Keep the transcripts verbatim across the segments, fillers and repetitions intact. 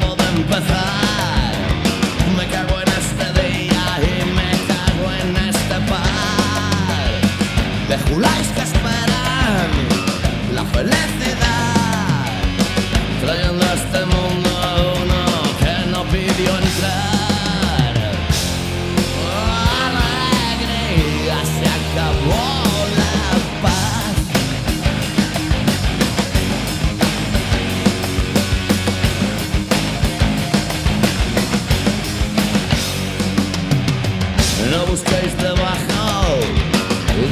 acabo de empezar. Me cago en este día y me cago en este par de juláis que esperan la felicidad, trayendo a este mundo a uno que no pidió entrar. Oh, alegría, se acabó la paz. No busquéis debajo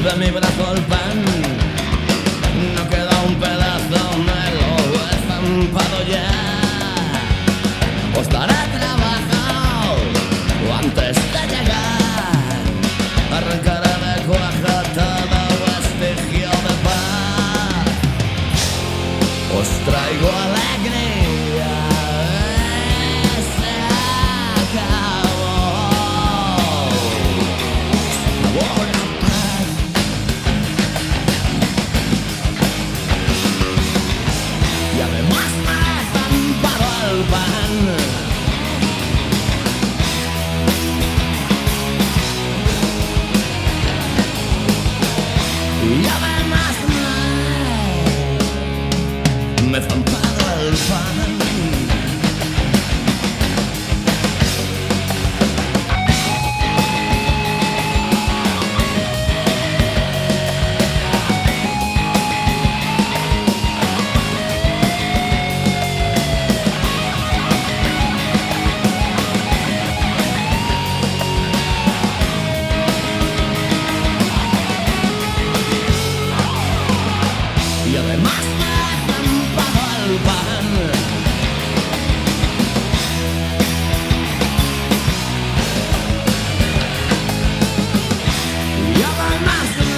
de mi brazo el pan, no queda un pedazo, me lo he estampado ya. Os daré trabajo antes de llegar, arrancaré de cuaja todo vestigio de paz. Os traigo alegría, se acabó, se acabó la paz. Y además me he estampado el pan. Y además me, me he estampado el pan. Y además me he estampado el pan. Y además me,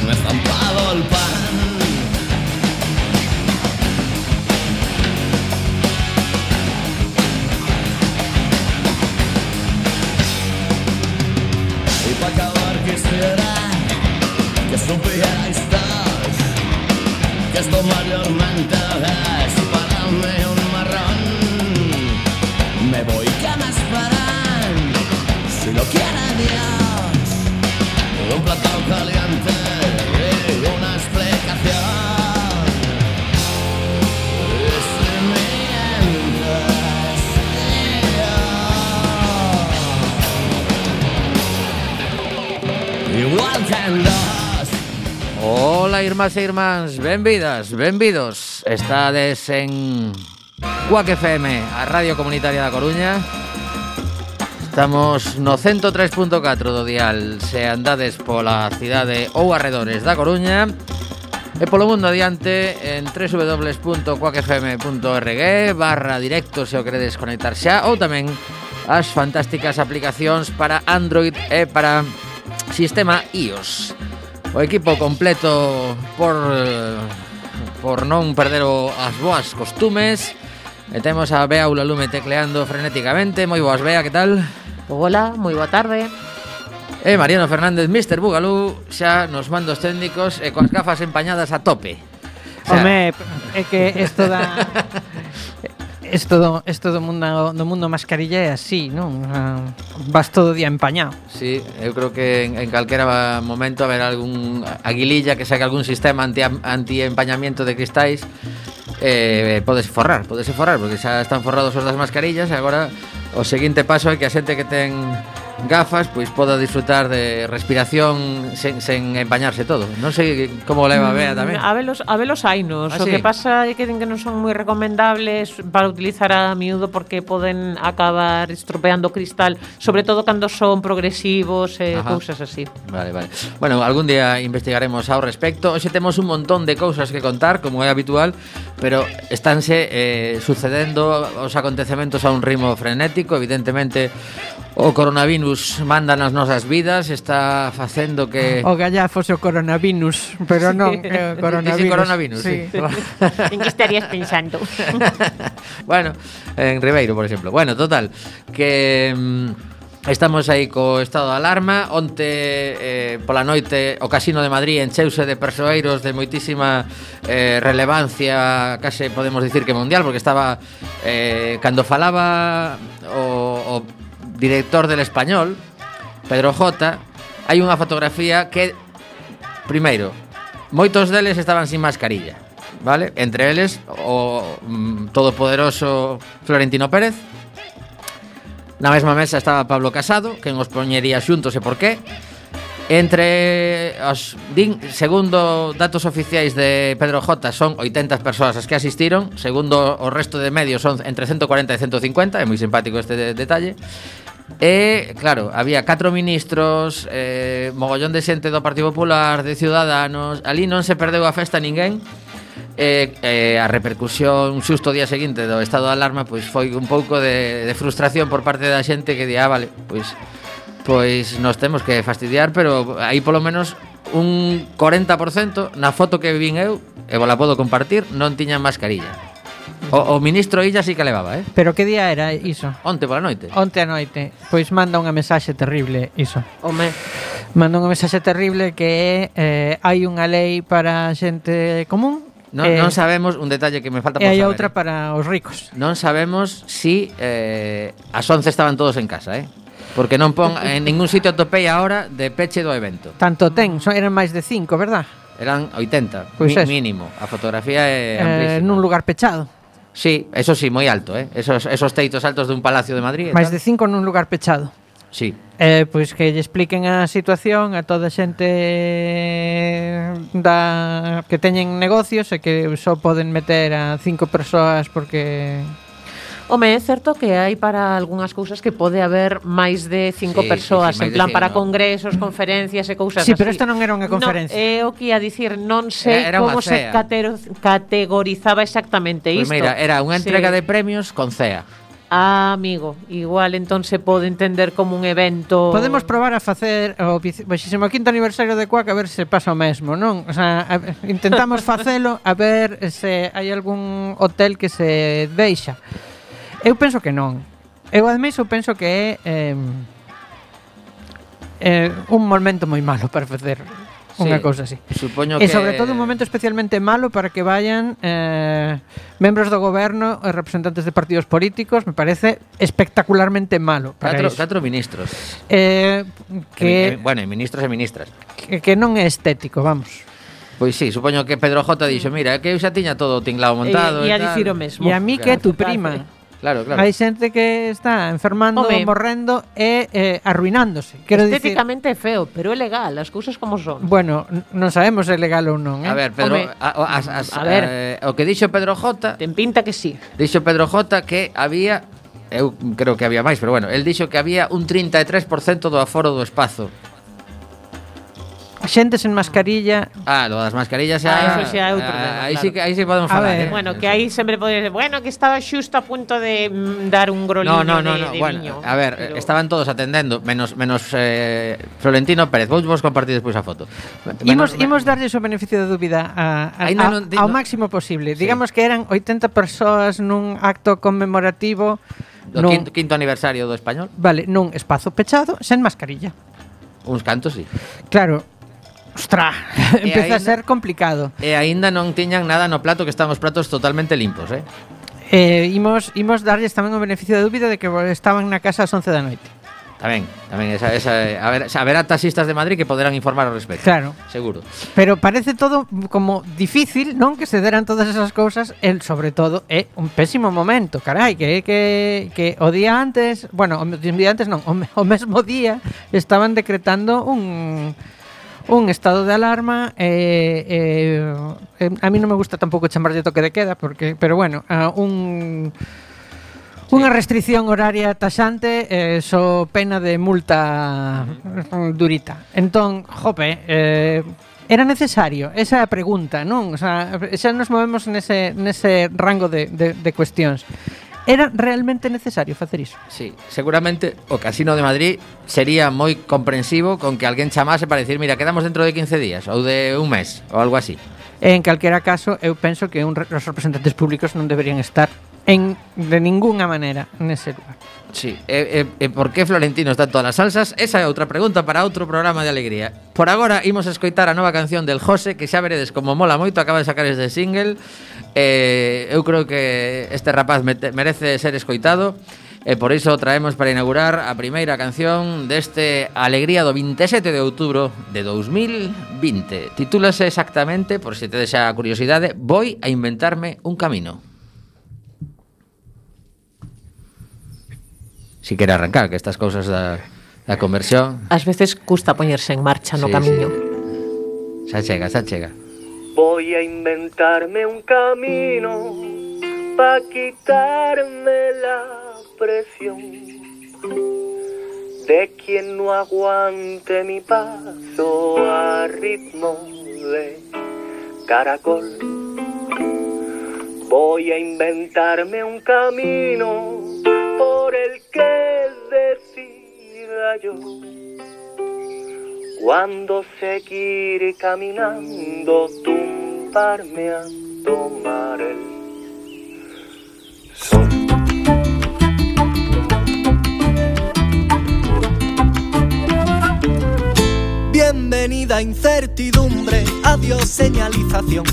me he estampado el pan. Y para acabar quisiera que supierais todos que esto mayormente es para mí un marrón. Me voy, que me esperan, si lo quiere Dios, un plato caliente y una explicación. Y si mientes, yo, igual que en dos. Ola, irmás e irmáns, benvidas, benvidos. Estades en Cuac F M, a Radio Comunitaria da Coruña. Estamos no ciento tres punto catro do dial, se andades pola cidade ou arredores da Coruña, e polo mundo adiante en w w w punto cuac f m punto org barra directo se o queredes conectar xa, ou tamén as fantásticas aplicacións para Android e para sistema iOS. O equipo completo por por non perder o, as boas costumes. E temos a Bea Ulalume tecleando frenéticamente. Moi boas, Bea, que tal? Hola, moi boa tarde. E Mariano Fernández, mister Bugalú, xa nos mandos técnicos e coas gafas empañadas a tope. O sea, home, é que isto da Isto do, isto do mundo do mundo mascarilla é así, non? Uh, vas todo o día empañado. Sí, eu creo que en, en calquera momento haber algún aguililla que saque algún sistema anti, anti-empañamiento de cristais, eh, podese forrar, podese forrar, porque xa están forrados os das mascarillas e agora o seguinte paso é que a xente que ten gafas pois poda disfrutar de respiración sen, sen empañarse todo. Non sei como leva a Bea tamén. A velos, a velos hainos. Ah, o sí? que pasa é que din que non son moi recomendables para utilizar a miúdo porque poden acabar estropeando o cristal, sobre todo cando son progresivos e eh, cousas así. Vale, vale. Bueno, algún día investigaremos ao respecto. Hoxe temos un montón de cousas que contar, como é habitual, pero estánse eh, sucedendo os acontecementos a un ritmo frenético. Evidentemente o coronavirus manda nas nosas vidas, está facendo que... O gallafo o coronavirus, pero sí. non eh, coronavirus. Sí, coronavirus, sí. sí. En que estarías pensando? Bueno, en Ribeiro, por exemplo. Bueno, total, que... Estamos aí co estado de alarma. Onte eh, pola noite o Casino de Madrid encheuse de persoeiros de moitísima eh, relevancia, case podemos dicir que mundial, porque estaba eh, cando falaba o, o director del Español, Pedro J, hai unha fotografía que, primeiro, moitos deles estaban sin mascarilla, vale? Entre eles o mm, todopoderoso Florentino Pérez. Na mesma mesa estaba Pablo Casado, que nos poñería xuntos e por qué. Entre os din, segundo datos oficiais de Pedro J, son oitenta persoas as que asistiron. Segundo o resto de medios son entre ciento cuarenta e ciento cincuenta. É moi simpático este de, detalle. E, claro, había catro ministros, eh, mogollón de xente do Partido Popular, de Ciudadanos. Ali non se perdeu a festa ninguén. E, eh, a repercusión xusto o día seguinte do estado de alarma pois foi un pouco de, de frustración por parte da xente que di, ah, vale, pois pois nos temos que fastidiar, pero aí polo menos un corenta por cento na foto que vin eu, e vos la podo compartir, non tiñan mascarilla. O, o ministro Illa sí que levaba, eh? Pero que día era iso? Onte pola noite. Onte a noite. Pois manda unha mensaxe terrible iso. Home, Manda unha mensaxe terrible que é eh, hai unha lei para a xente común. Non, eh, non sabemos, un detalle que me falta por e hai saber. outra eh. para os ricos. Non sabemos si eh, as once estaban todos en casa, eh? Porque non pon en ningún sitio atopei a hora de peche do evento. Tanto ten, son, eran máis de cinco, verdad? Eran oitenta, Pois mi, eso. mínimo. A fotografía é Eh, amplísima. nun lugar pechado. Sí, eso sí, moi alto, eh? Esos, esos teitos altos dun palacio de Madrid. Máis de cinco nun lugar pechado. Sí. Eh, pois que lle expliquen a situación a toda a xente da que teñen negocios e que só poden meter a cinco persoas porque home, é certo que hai para algunhas cousas que pode haber máis de cinco Sí, persoas, sí, sí, máis en de plan cinco, para no. congresos, conferencias e cousas Sí, así. pero esta non era unha conferencia. No, é o que ia dicir, non sei Era unha como se cea. catero, categorizaba exactamente Pois isto. mira, era unha entrega Sí. de premios con C E A. Ah, amigo, igual entón se pode entender como un evento. Podemos probar a facer o veinticinco quinto aniversario de Quack a ver se pasa o mesmo, non? O sea, a, intentamos facelo a ver se hai algún hotel que se deixa. Eu penso que non. Eu ademais eu penso que é eh, eh, un momento moi malo para facer unha Sí, cousa así. Supoño E que sobre todo un momento especialmente malo para que vayan eh, membros do goberno e representantes de partidos políticos. Me parece espectacularmente malo para catro, iso. catro ministros. Eh, Que, que, bueno, e ministros e ministras. que, que non é estético, vamos. Pois sí, supoño que Pedro J dixo, mira, é que eu xa tiña todo o tinglado montado E e, ia tal. dicir o mesmo. E a mí que é tu prima. Claro, claro. Hai xente que está enfermando, Home. morrendo e eh, arruinándose. Quero dicir, Estéticamente é feo, pero é legal, as cousas como son. bueno, n- non sabemos se é legal ou non, eh? A ver, Pedro, Home, a, o- as, as, a ver. eh, o que dixo Pedro J, Ten pinta que sí. dixo Pedro J que había, eu creo que había máis, pero bueno, el dixo que había un trinta e tres por cento do aforo do espazo. Xente sen mascarilla. Ah, lo das mascarillas xa. Ah, eso xa é outro ah, tema, aí claro. sí que aí sí podemos A falar, ver. eh. Bueno, que aí sempre pode decir, bueno, que estaba xusto a punto de mm, dar un No, groliño no, no, de, no. de Bueno, viño. a ver, pero- estaban todos atendendo, menos menos eh, Florentino Pérez. Vou vos compartir despois a foto. Imos, Menos- imos darlle o beneficio da dúbida a, a, Ainda a, non di- ao no- máximo posible. Sí. Digamos que eran oitenta persoas nun acto conmemorativo do nun, quinto, quinto aniversario do español. vale, nun espazo pechado sen mascarilla. Uns cantos, sí. Claro. Ostra, aínda- empeza a ser complicado. E aínda non tiñan nada no plato, que están os platos totalmente limpos, eh. Eh, imos, imos darlles tamén o beneficio da dúbida de que estaban na casa ás once da noite. Tamén, tamén esa, esa a ver, haberá taxistas de Madrid que poderán informar ao respecto. Claro. Seguro. Pero parece todo como difícil, non? Que se deran todas esas cousas. El, sobre todo, é un pésimo momento. Carai, que que, que o día antes, bueno, o día antes non, o, me- o mesmo día estaban decretando un un estado de alarma eh, eh, eh, a mí non me gusta tampouco chamarlle toque de queda porque, pero bueno, uh, un unha restricción horaria taxante eh, so pena de multa mm, durita. Entón, jope, eh, era necesario? Esa é a pregunta, non? O sea, xa nos movemos nese, nese rango de, de, de cuestións. Era realmente necesario facer iso? Sí, seguramente o Casino de Madrid sería moi comprensivo con que alguén chamase para decir, mira, quedamos dentro de quince días ou de un mes ou algo así. En calquera caso, eu penso que un, re- os representantes públicos non deberían estar en, de ninguna maneira nese lugar. Sí, e, e, e por que Florentino está en todas as salsas? Esa é outra pregunta para outro programa de alegría. Por agora, imos escoitar a nova canción del José, que xa veredes como mola moito, acaba de sacar este single. eh, Eu creo que este rapaz merece ser escoitado, e por iso traemos para inaugurar a primeira canción deste Alegría do veintisiete de outubro de dos mil vinte. Titúlase exactamente, por se tedes xa a curiosidade, Voy a inventarme un camino. Si quere arrancar, que estas cousas da, da conversión... Ás veces custa poñerse en marcha no sí, camiño. Sí. Xa chega, xa chega. Voy a inventarme un camino pa' quitarme la presión de quien no aguante mi paso a ritmo de caracol. Voy a inventarme un camino por el que decida yo cuando seguir caminando, tumbarme a tomar el sol. Bienvenida incertidumbre, adiós señalización.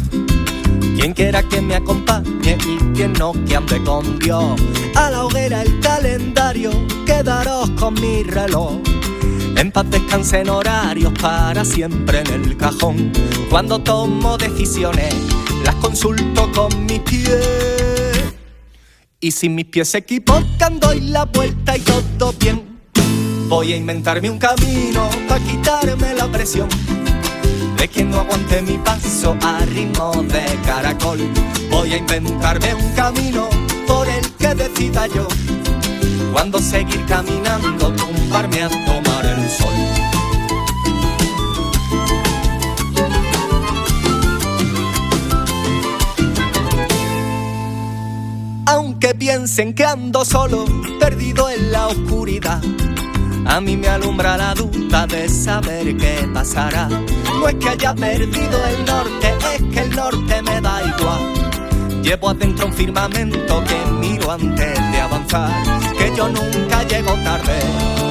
Quien quiera que me acompañe y quien no que ande con Dios. A la hoguera el calendario, quedaros con mi reloj. En paz descansen horarios para siempre en el cajón. Cuando tomo decisiones, las consulto con mis pies. Y si mis pies se equivocan, doy la vuelta y todo bien. Voy a inventarme un camino para quitarme la presión de quien no aguante mi paso a ritmo de caracol. Voy a inventarme un camino por el que decida yo cuando seguir caminando, tumbarme a tomar el sol. Aunque piensen que ando solo, perdido en la oscuridad, a mí me alumbra la duda de saber qué pasará. No es que haya perdido el norte, es que el norte me da igual. Llevo adentro un firmamento que miro antes de avanzar. Que yo nunca llego tarde,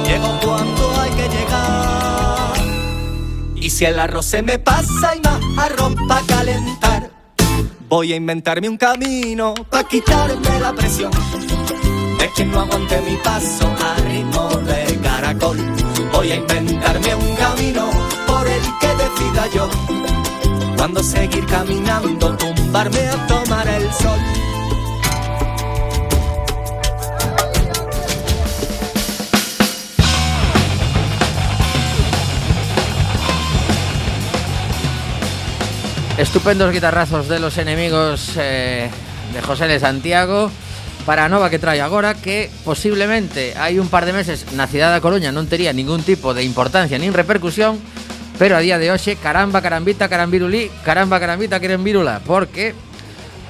llego cuando hay que llegar. Y si el arroz se me pasa y más arroz pa' calentar, voy a inventarme un camino pa' quitarme la presión de quien no aguante mi paso a ritmo de caracol. Voy a inventarme un camino por el que decida yo cuando seguir caminando, tumbarme a tomar el sol. Estupendos guitarrazos de los enemigos eh, de José de Santiago para a nova que trae agora, que posiblemente hai un par de meses na cidade da Coruña non tería ningún tipo de importancia nin repercusión, pero a día de hoxe, caramba, carambita, carambirulí, caramba, carambita, querembirula, porque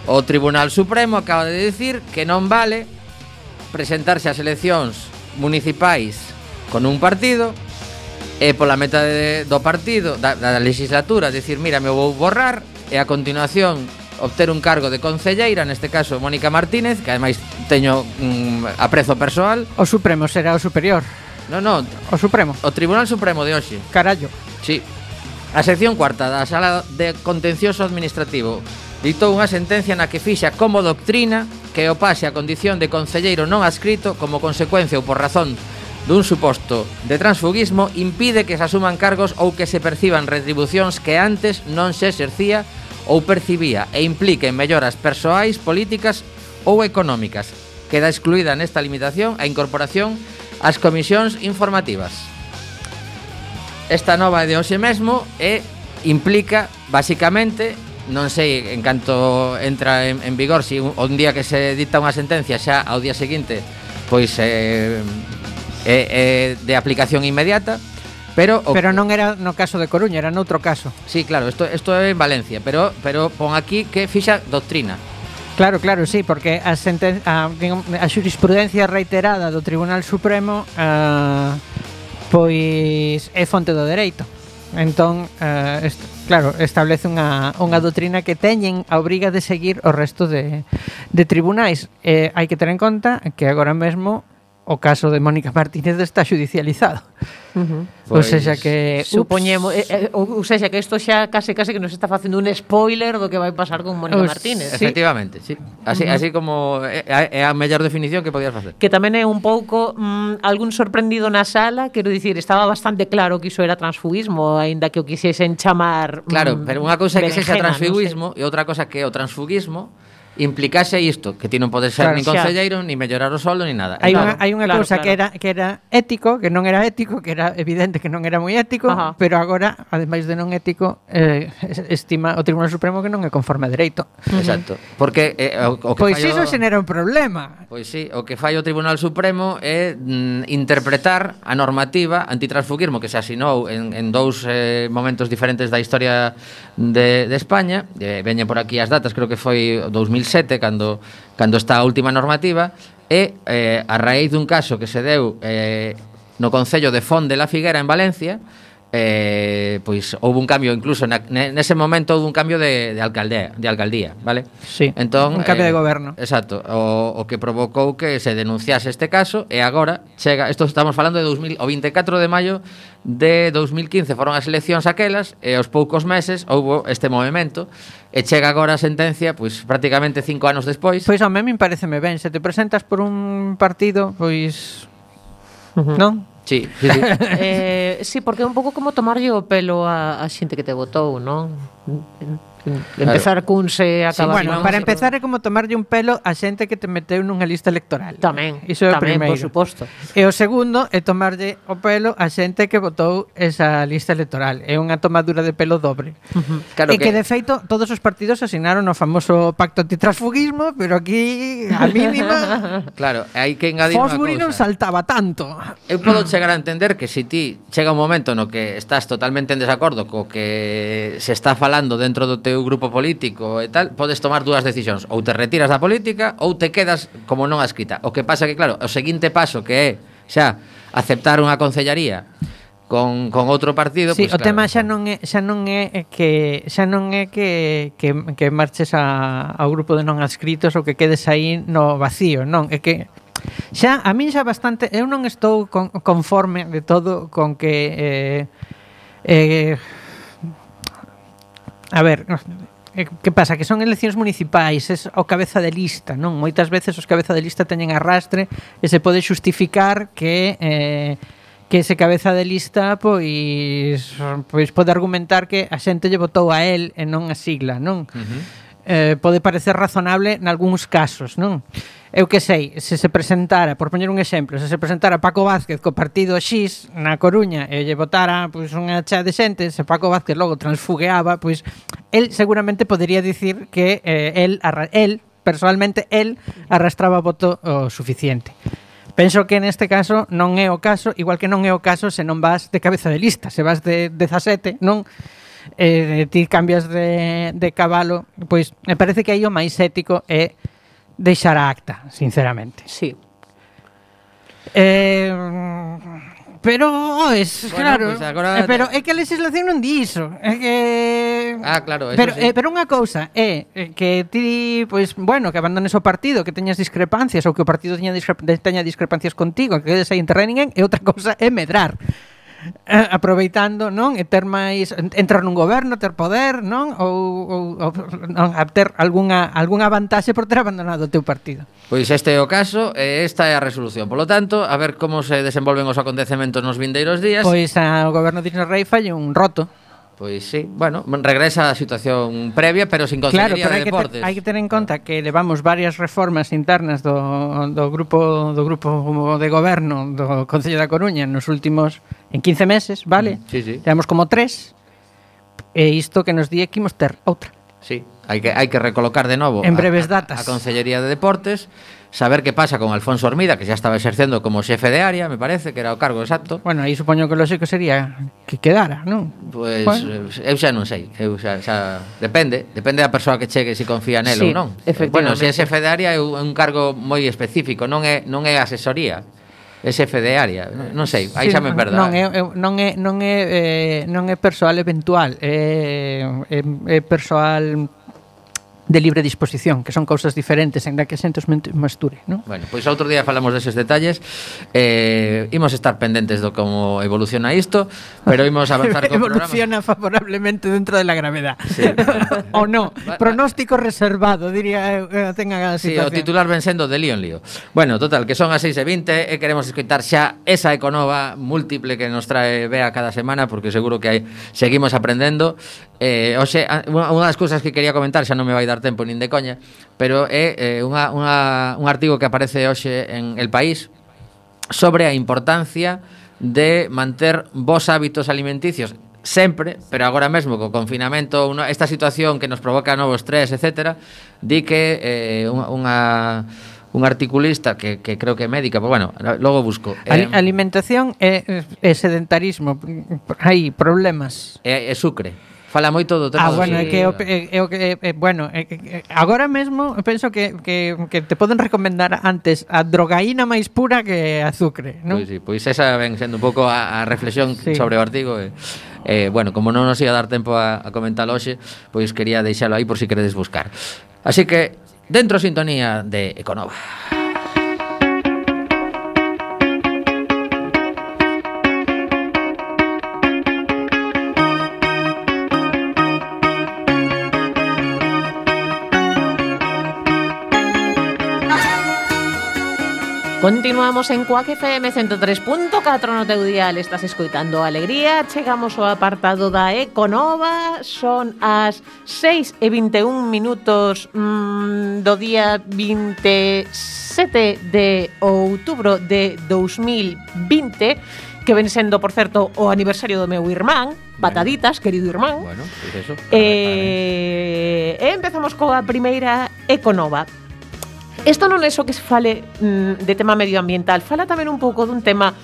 o Tribunal Supremo acaba de dicir que non vale presentarse ás eleccións municipais con un partido e pola meta de, do partido, da, da legislatura, dicir, mira, me vou borrar, e a continuación obter un cargo de concelleira, neste caso Mónica Martínez, que ademais teño un mm, aprezo persoal. O Supremo será o superior. Non, non, o Supremo. O Tribunal Supremo de hoxe. Carallo. Sí. A sección cuarta da Sala de Contencioso Administrativo ditou unha sentencia na que fixa como doctrina que o pase a condición de concelleiro non adscrito como consecuencia ou por razón dun suposto de transfugismo impide que se asuman cargos ou que se perciban retribucións que antes non se exercía ou percibía e impliquen melloras persoais, políticas ou económicas. Queda excluída nesta limitación a incorporación ás comisións informativas. Esta nova de hoxe mesmo e implica, basicamente, non sei en canto entra en, en vigor, si un, un día que se dicta unha sentencia xa ao día seguinte, pois é eh, eh, eh, de aplicación inmediata. Pero, o, pero non era no caso de Coruña, era noutro caso. Sí, claro, isto, isto é en Valencia, pero, pero pon aquí que fixa doctrina. Claro, claro, sí, porque a, senten a, a xurisprudencia reiterada do Tribunal Supremo uh, pois é fonte do dereito. Entón, uh, est claro, establece unha, unha doutrina que teñen a obriga de seguir o resto de, de tribunais. Eh, hai que ter en conta que agora mesmo o caso de Mónica Martínez está xudicializado. Uh-huh. Ou Pois, seja que Supoñemos, eh, eh, ou seja, que isto xa case case que nos está facendo un spoiler do que vai pasar con Mónica Os- Martínez. Sí. Efectivamente, sí. Así, Uh-huh. así como é, é a mellor definición que podías facer. Que tamén é un pouco mm, algún sorprendido na sala, quero dicir, estaba bastante claro que iso era transfugismo, aínda que o quixesen chamar Claro, mm, pero unha cousa é que sexa berenjena, transfugismo e outra cosa que o transfugismo implicase isto, que ti non podes ser Claro, nin xa. concelleiro, nin mellorar o soldo, nin nada. hai Claro, unha, hai unha claro, cousa claro. que era que era ético, que non era ético, que era evidente que non era moi ético, Ajá. pero agora, ademais de non ético, eh, estima o Tribunal Supremo que non é conforme a dereito. Exacto. Porque eh, o, o que Pois fai o- iso xenera un problema. Pois sí, o que fai o Tribunal Supremo é mm, interpretar a normativa antitransfugismo que se asinou en, en dous eh, momentos diferentes da historia de, de España. Eh, veñen por aquí as datas, creo que foi o dous mil sete cando, cando está a última normativa, e eh, a raíz dun caso que se deu eh, no Concello de Font de la Figuera en Valencia, eh, pois houve un cambio incluso na, nese momento houve un cambio de, de alcaldía, de alcaldía, vale? Sí, Entón, un cambio de goberno. Exacto, o, o que provocou que se denunciase este caso e agora chega, isto estamos falando de dos mil, o veinticuatro de maio de dos mil quince foron as eleccións aquelas e aos poucos meses houbo este movimento e chega agora a sentencia, pois prácticamente cinco anos despois. Pois a mí me pareceme ben, se te presentas por un partido, pois Uh-huh. non? Sí, sí, sí. eh, sí, porque é un pouco como tomarlle o pelo a, a xente que te votou, non? Empezar cunse e acabar Bueno, non, para sí. empezar é como tomarlle un pelo a xente que te meteu nunha lista electoral. Tamén, Iso é o tamén, primeiro. por suposto. E o segundo é tomarlle o pelo a xente que votou esa lista electoral. É unha tomadura de pelo dobre. Claro e que, que- de feito, todos os partidos asignaron o famoso pacto antitransfugismo, pero aquí, a mínima, Claro, hai que engadir unha Fosbury non cousa. saltaba tanto. Eu podo chegar a entender que se ti chega un momento no que estás totalmente en desacordo co que se está falando dentro do teu grupo político e tal, podes tomar dúas decisións, ou te retiras da política ou te quedas como non adscrita. O que pasa que, claro, o seguinte paso que é xa aceptar unha concellaría con, con outro partido, Sí, pois, o claro, tema xa non é xa non é que xa non é que que, que marches a, ao grupo de non adscritos ou que quedes aí no vacío, non, é que xa a min xa bastante, eu non estou con, conforme de todo con que eh, eh, a ver, eh, que pasa? Que son eleccións municipais, es o cabeza de lista, non? Moitas veces os cabeza de lista teñen arrastre e se pode xustificar que eh, que ese cabeza de lista pois pois pode argumentar que a xente lle votou a él e non a sigla, non? Uh-huh. Eh, pode parecer razonable nalgúns casos, non? Eu que sei, se se presentara, por poñer un exemplo, se se presentara Paco Vázquez co partido X na Coruña e lle votara pois unha chea de xente, se Paco Vázquez logo transfugueaba, pois el seguramente podería dicir que eh, el, arra, el, personalmente, el arrastraba voto o suficiente. Penso que neste caso non é o caso, igual que non é o caso se non vas de cabeza de lista, se vas de dezasete, non? Eh, ti cambias de, de cabalo, pois me parece que aí o máis ético é deixar a acta, sinceramente. Sí. Eh, pero, oes, Bueno, claro, pois agora- eh, pero é que a legislación non di iso, é que Ah, claro, eso pero, sí. eh, pero unha cousa é eh, que ti, pois, bueno, que abandones o partido, que teñas discrepancias ou que o partido teña, discre teña discrepancias contigo, que quedes aí en terra de ninguén, e outra cousa é medrar. Eh, aproveitando, non? E ter máis entrar nun goberno, ter poder, non? Ou, ou, ou non, a ter algunha algunha vantaxe por ter abandonado o teu partido. Pois este é o caso e esta é a resolución. Polo tanto, a ver como se desenvolven os acontecementos nos vindeiros días. Pois ao goberno de Isla Rei falle un roto. Pois sí, bueno, regresa a situación previa, pero sin Claro, consellería pero de hai que, deportes. ter, hai que ter en conta que levamos varias reformas internas do, do grupo do grupo de goberno do Concello da Coruña nos últimos en quince meses, vale? Mm, sí, sí. Levamos como tres. E isto que nos di que imos ter outra. Sí, hai que hai que recolocar de novo En a- breves a, datas. a Consellería de Deportes, saber que pasa con Alfonso Hormida, que xa estaba exercendo como xefe de área, me parece, que era o cargo exacto. Bueno, aí supoño que o lógico sería que quedara, non? Pois Bueno. eh, eu xa non sei, eu xa, xa depende, depende da persoa que chegue se confía nel Sí, ou non. efectivamente. Bueno, se é xefe de área é un un cargo moi específico, non é non é asesoría. é xefe de área, non sei, aí Sí, xa me perdo. Non é, é- non é non é eh, non é persoal eventual, é, é, é persoal de libre disposición, que son cousas diferentes, en da que xente os ment- masture, non? Bueno, pois outro día falamos deses detalles. Eh, imos estar pendentes do como evoluciona isto, pero imos avanzar co programa. Evoluciona favorablemente dentro de la gravedad. Sí. O no, pronóstico reservado, diría eu, eh, tenga a Sí, o situación. titular ven sendo de lío en lío. Bueno, total, que son as seis e vinte e queremos escoitar xa esa econova múltiple que nos trae Bea cada semana, porque seguro que hai, seguimos aprendendo. Eh, oxe, a- unha unha das cousas que quería comentar, xa non me vai dar tempo nin de coña, pero é eh, unha, unha, un artigo que aparece hoxe en El País sobre a importancia de manter bons hábitos alimenticios sempre, pero agora mesmo co confinamento, una, esta situación que nos provoca novo estrés, etcétera, di que eh, unha, unha un articulista que, que creo que é médica, pues bueno, logo busco. Ali- Eh, alimentación e, e sedentarismo, hai problemas. é, é sucre. Fala moito do tema Ah, do bueno, é sucre. que, o pe- é, é o que é, bueno, é, que- é, agora mesmo penso que, que, que te poden recomendar antes a drogaína máis pura que azúcar, non? Pois sí, pois esa ven sendo un pouco a, a reflexión Sí. sobre o artigo e, eh, bueno, como non nos ia dar tempo a, a comentar hoxe, pois quería deixalo aí por si queredes buscar. Así que, dentro sintonía de Econova. Continuamos en Quack F M ciento tres punto catro no teu dial. Estás escoitando Alegría. Chegamos ao apartado da Econova. Son as seis e vinte e un minutos mmm, do día vinte e sete de outubro de dous mil vinte, que ven sendo, por certo, o aniversario do meu irmán. Pataditas, querido irmán. Bueno, pois eso. Eh, e empezamos coa primeira Econova. Isto non é só que se fale mm, de tema medioambiental, fala tamén un pouco dun tema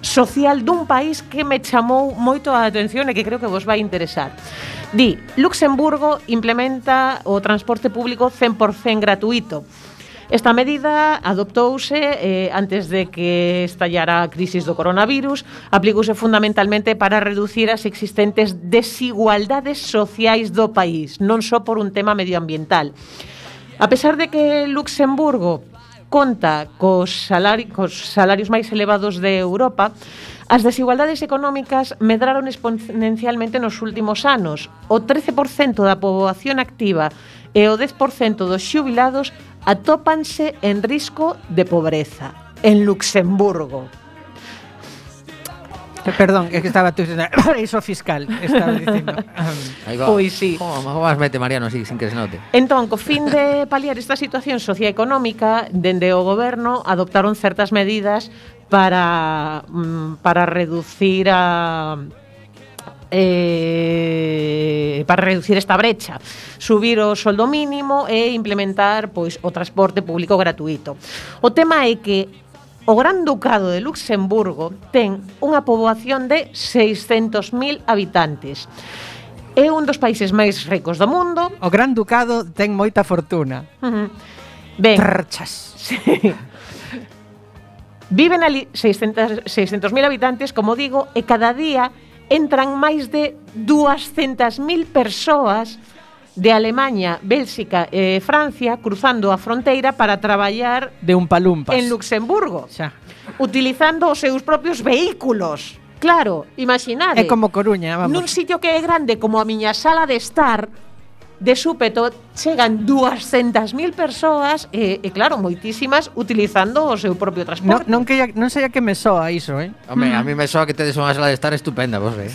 social dun país que me chamou moito a atención e que creo que vos vai interesar. Di, Luxemburgo implementa o transporte público cen por cento gratuito. Esta medida adoptouse eh, antes de que estallara a crisis do coronavirus, aplicouse fundamentalmente para reducir as existentes desigualdades sociais do país, non só por un tema medioambiental. A pesar de que Luxemburgo conta cos, salari, cos salarios máis elevados de Europa, as desigualdades económicas medraron exponencialmente nos últimos anos. O trece por cento da poboación activa e o dez por cento dos xubilados atópanse en risco de pobreza en Luxemburgo. Perdón, é que estaba tú dicindo paraíso fiscal, estaba dicindo. Aí va. Pois sí. Como vas mete Mariano así, sin que se note. Entón, co fin de paliar esta situación socioeconómica, dende o goberno adoptaron certas medidas para mm, para reducir a eh, para reducir esta brecha, subir o soldo mínimo e implementar pois o transporte público gratuito. O tema é que o Gran Ducado de Luxemburgo ten unha poboación de seiscentos mil habitantes. É un dos países máis ricos do mundo. O Gran Ducado ten moita fortuna. Uh-huh. Ben, Trchas. sí. Viven ali seiscentos mil habitantes, como digo, e cada día entran máis de duascentas mil persoas de Alemaña, Bélxica e Francia cruzando a fronteira para traballar De un palumpas. en Luxemburgo, Xa. utilizando os seus propios vehículos. Claro, imaginade. É como Coruña, vamos. Nun sitio que é grande como a miña sala de estar, de súpeto chegan duascentas mil persoas e, e claro, moitísimas utilizando o seu propio Non, transporte. non, que, non sei a que me soa iso, eh? Home, a mí me soa que tedes unha sala de estar estupenda, vos, eh.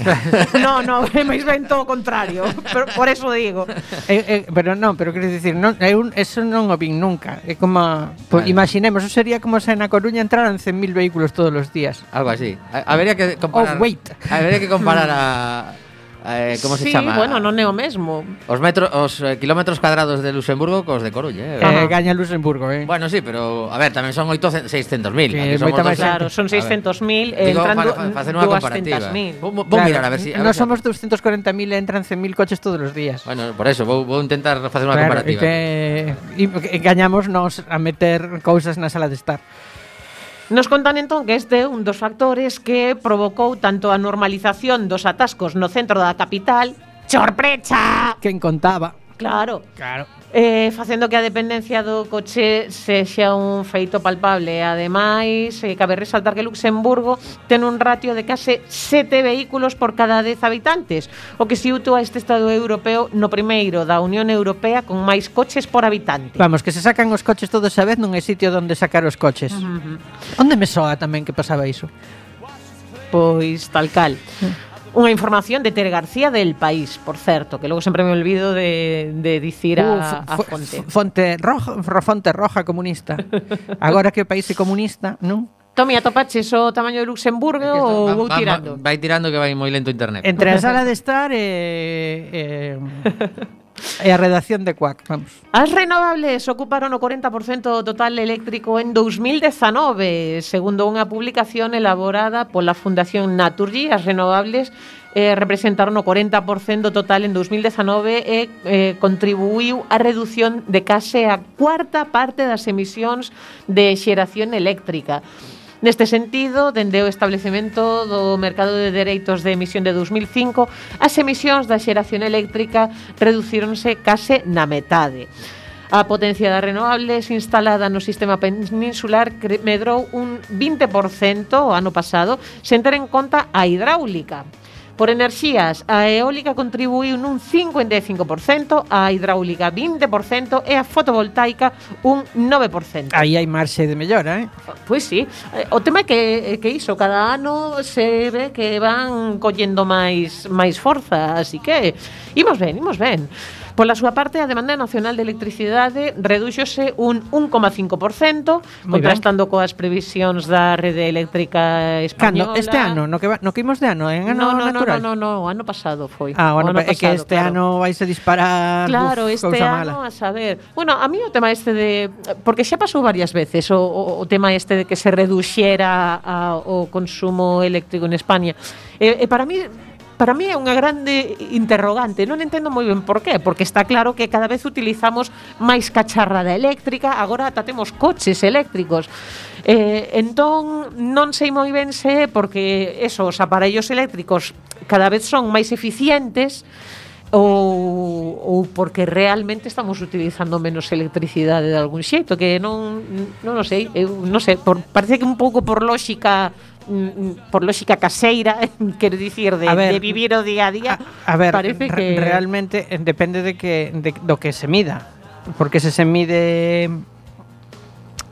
No, no, é máis ben todo o contrario. Pero por eso digo. Eh, eh, pero non, pero quero dicir, non, é un, eso non o vin nunca. É como, pues, Vale. imaginemos, eso sería como se na Coruña entraran cen mil vehículos todos os días. Algo así. A, habería que comparar. Oh, wait. Habería que comparar a eh, como se sí, chama? bueno, non é o mesmo. Os metros, os eh, kilómetros cuadrados de Luxemburgo cos de Coruña, eh. Eh, gaña Luxemburgo, eh? Bueno, sí, pero a ver, tamén son oitocentos, seiscentos mil. Que moita máis Claro, son seiscentos mil e Digo, entrando para fa- facer unha comparativa. duascentas mil. Vou, vou Claro, mirar a ver si a Nós ver si- somos doscientos cuarenta mil e entran cen mil coches todos os días. Bueno, por eso vou, vou intentar facer unha Claro, e comparativa. que, e, que gañamos nos a meter cousas na sala de estar. Nos contan entón que este é un dos factores que provocou tanto a normalización dos atascos no centro da capital, sorpresa, Quen contaba? claro, Claro. eh, facendo que a dependencia do coche sexa un feito palpable. Ademais, eh, cabe resaltar que Luxemburgo ten un ratio de case sete vehículos por cada dez habitantes, o que situa este Estado europeo no primeiro da Unión Europea con máis coches por habitante. Vamos, que se sacan os coches todos a vez, non hai sitio onde sacar os coches. Uh-huh. Onde me soa tamén que pasaba iso? Pois tal cal. Unha información de Tere García del País, por certo, que logo sempre me olvido de, de dicir a, a Uf, fonte. Fonte roja, fonte roja comunista. Agora que o país é comunista, non? Tomi, atopaches o tamaño de Luxemburgo ou vou tirando? Vai tirando que vai moi lento o internet. Entre a sala de estar e, e, e a redacción de Quack, vamos. As renovables ocuparon o corenta por cento do total eléctrico en dous mil dezanove, segundo unha publicación elaborada pola Fundación Naturgy. As renovables eh, representaron o corenta por cento total en dous mil dezanove e eh, contribuiu á reducción de case a cuarta parte das emisións de xeración eléctrica. Neste sentido, dende o establecemento do mercado de dereitos de emisión de dous mil cinco, as emisións da xeración eléctrica reducíronse case na metade. A potencia das renovables instalada no sistema peninsular medrou un vinte por cento o ano pasado, sen ter en conta a hidráulica. Por enerxías, a eólica contribuiu nun cincuenta e cinco por cento, a hidráulica vinte por cento e a fotovoltaica un nove por cento. Aí hai marxe de mellora, eh? Pois sí, o tema é que, que iso, cada ano se ve que van collendo máis máis forza, así que imos ben, imos ben. Pola súa parte, a demanda nacional de electricidade redúxose un un coma cinco por cento, contrastando coas previsións da rede eléctrica española. Cando? Este ano? No que, va, no que imos de ano? En ano no, no, natural? No, no, no, no, ano pasado foi. Ah, bueno, é que este claro. ano vais a disparar. Claro, uf, este ano, mala. a saber. Bueno, a mí o tema este de... Porque xa pasou varias veces o, o, o tema este de que se reduxera a, o consumo eléctrico en España. E, e para mí... Para mí é unha grande interrogante. Non entendo moi ben por qué, porque está claro que cada vez utilizamos máis cacharrada eléctrica, agora ata temos coches eléctricos. Eh, entón, non sei moi ben se porque esos aparellos eléctricos cada vez son máis eficientes ou, ou porque realmente estamos utilizando menos electricidade de algún xeito, que non non o sei, eu non sei, por, parece que un pouco por lógica por lógica caseira, quero dicir, de, ver, de vivir o día a día. A, a ver, parece que realmente depende de que de, do que se mida, porque se se mide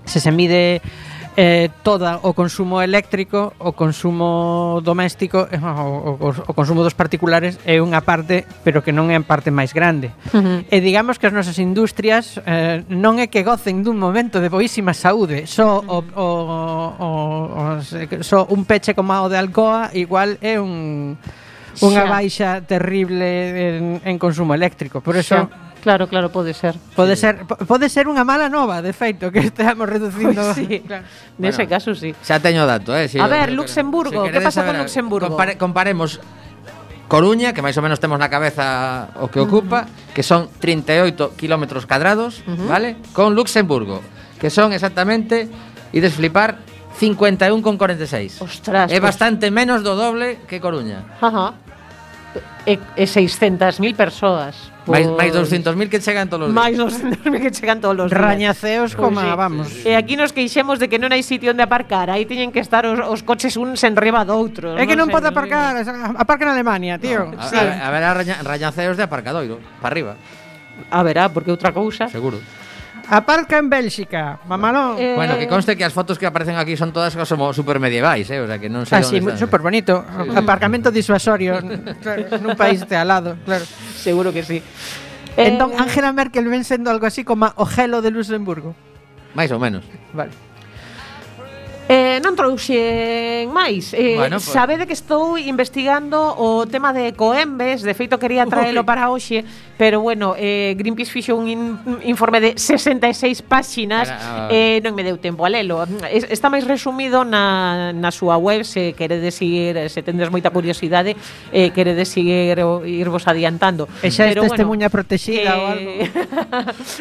se se mide eh, toda o consumo eléctrico, o consumo doméstico, eh, o, o, o consumo dos particulares é unha parte, pero que non é a parte máis grande. Uh-huh. E digamos que as nosas industrias eh, non é que gocen dun momento de boísima saúde, só o, o, o, o, só un peche como o de Alcoa igual é un unha baixa terrible en, en consumo eléctrico. Por eso xa. Claro, claro, pode ser. Pode sí. ser pode ser unha mala nova, de feito, que estamos reducindo. Pues sí. Claro. Nese bueno, caso, sí. Xa teño dato, eh. Si a ver, Luxemburgo, si que pasa con Luxemburgo? Compare, comparemos Coruña, que máis ou menos temos na cabeza o que ocupa, uh-huh. que son trinta e oito kilómetros cadrados, uh-huh. vale? Con Luxemburgo, que son exactamente, ides flipar, cincuenta e un coma cuarenta e seis. Ostras. É pues bastante menos do doble que Coruña. Ajá. E, e seiscentas mil persoas. Máis, máis doscientos mil que chegan todos os días. Máis doscientos mil que chegan todos os días. Rañaceos como, sí, vamos. Sí, sí. E aquí nos queixemos de que non hai sitio onde aparcar. Aí teñen que estar os, os coches uns en riba doutros. É que non, non pode aparcar, aparca en Alemania, tío. No, a, sí. a, a ver, a raña, rañaceos de aparcadoiro, para arriba. A verá, porque outra cousa. Seguro. Aparca en Bélxica, mamalón. Eh... Bueno, que conste que as fotos que aparecen aquí son todas como super medievais, eh, o sea, que non sei ah, sí, super bonito. Sí. Aparcamento disuasorio nun país de al lado, claro. Seguro que sí. Entón, Angela Merkel ven sendo algo así como o gelo de Luxemburgo. Mais ou menos. Vale. Eh, non trouxen máis eh, bueno, pues... Sabede que estou investigando o tema de Ecoembes. De feito quería traelo para hoxe, pero bueno, eh, Greenpeace fixo un in, informe de sesenta e seis páxinas. Para, uh... eh, Non me deu tempo a lelo. Está máis resumido na, na súa web. Se queredes ir, se tendes moita curiosidade, eh, queredes ir, irvos adiantando. E xa é testemunha bueno, protexida eh... ou algo.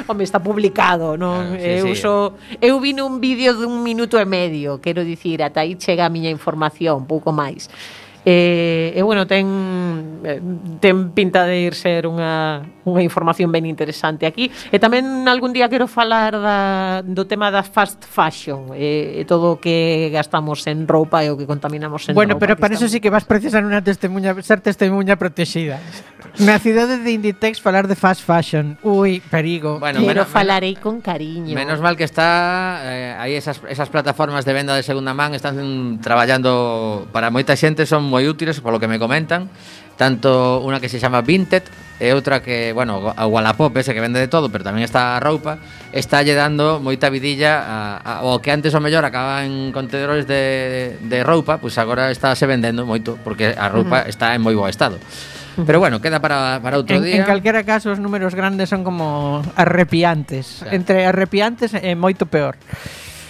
Home, está publicado, non? Ah, sí, eu, sí. So, eu vi un vídeo dun minuto e medio todo, quero dicir, ata aí chega a miña información, pouco máis. E, e bueno, ten ten pinta de ir ser unha, unha información ben interesante aquí. E tamén algún día quero falar da, do tema da fast fashion e, e todo o que gastamos en roupa e o que contaminamos en bueno, roupa. Bueno, pero para estamos... eso sí que vas precisar unha testemunha, ser testemunha protexida. Na cidade de Inditex falar de fast fashion. Ui, perigo. Bueno, pero menos, falarei con cariño. Menos mal que está eh, aí esas, esas plataformas de venda de segunda man están mm, traballando para moita xente, son moi útiles polo que me comentan, tanto unha que se chama Vinted e outra que, bueno, a Wallapop ese que vende de todo, pero tamén está a roupa, está lle dando moita vidilla a, a, o que antes o mellor acaba en contenedores de, de roupa, pois pues agora está se vendendo moito porque a roupa uh-huh. está en moi bo estado. Pero bueno, queda para, para outro en, día. En calquera caso, os números grandes son como arrepiantes. Claro. Entre arrepiantes e moito peor.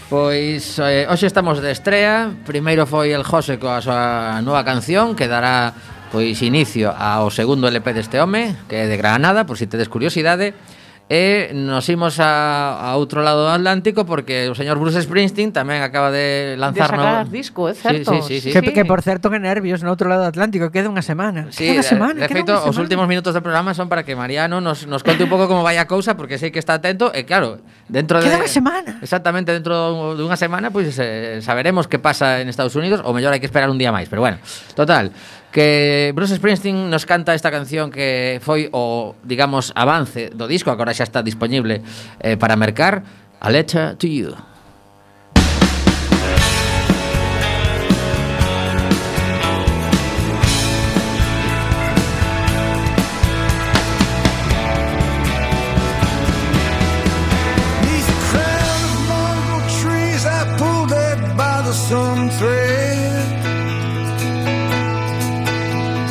Pois eh, hoxe estamos de estrea. Primeiro foi el José coa súa nova canción que dará pois inicio ao segundo L P deste home, que é de Granada, por si tedes curiosidade. E nos imos a, a outro lado do Atlántico porque o señor Bruce Springsteen tamén acaba de lanzar de sacar no... disco, é certo? Sí, sí, sí, sí. Que, que por certo, que nervios no outro lado do Atlántico, queda unha semana. Sí, queda unha semana, de, de feito, os últimos minutos do programa son para que Mariano nos, nos conte un pouco como vai a cousa, porque sei que está atento e claro, dentro de... Queda unha semana. Exactamente, dentro de unha semana pois pues, eh, saberemos que pasa en Estados Unidos, ou mellor hai que esperar un día máis, pero bueno, total, que Bruce Springsteen nos canta esta canción que foi o, digamos, avance do disco, agora xa está disponible eh, para mercar, A Letter to You.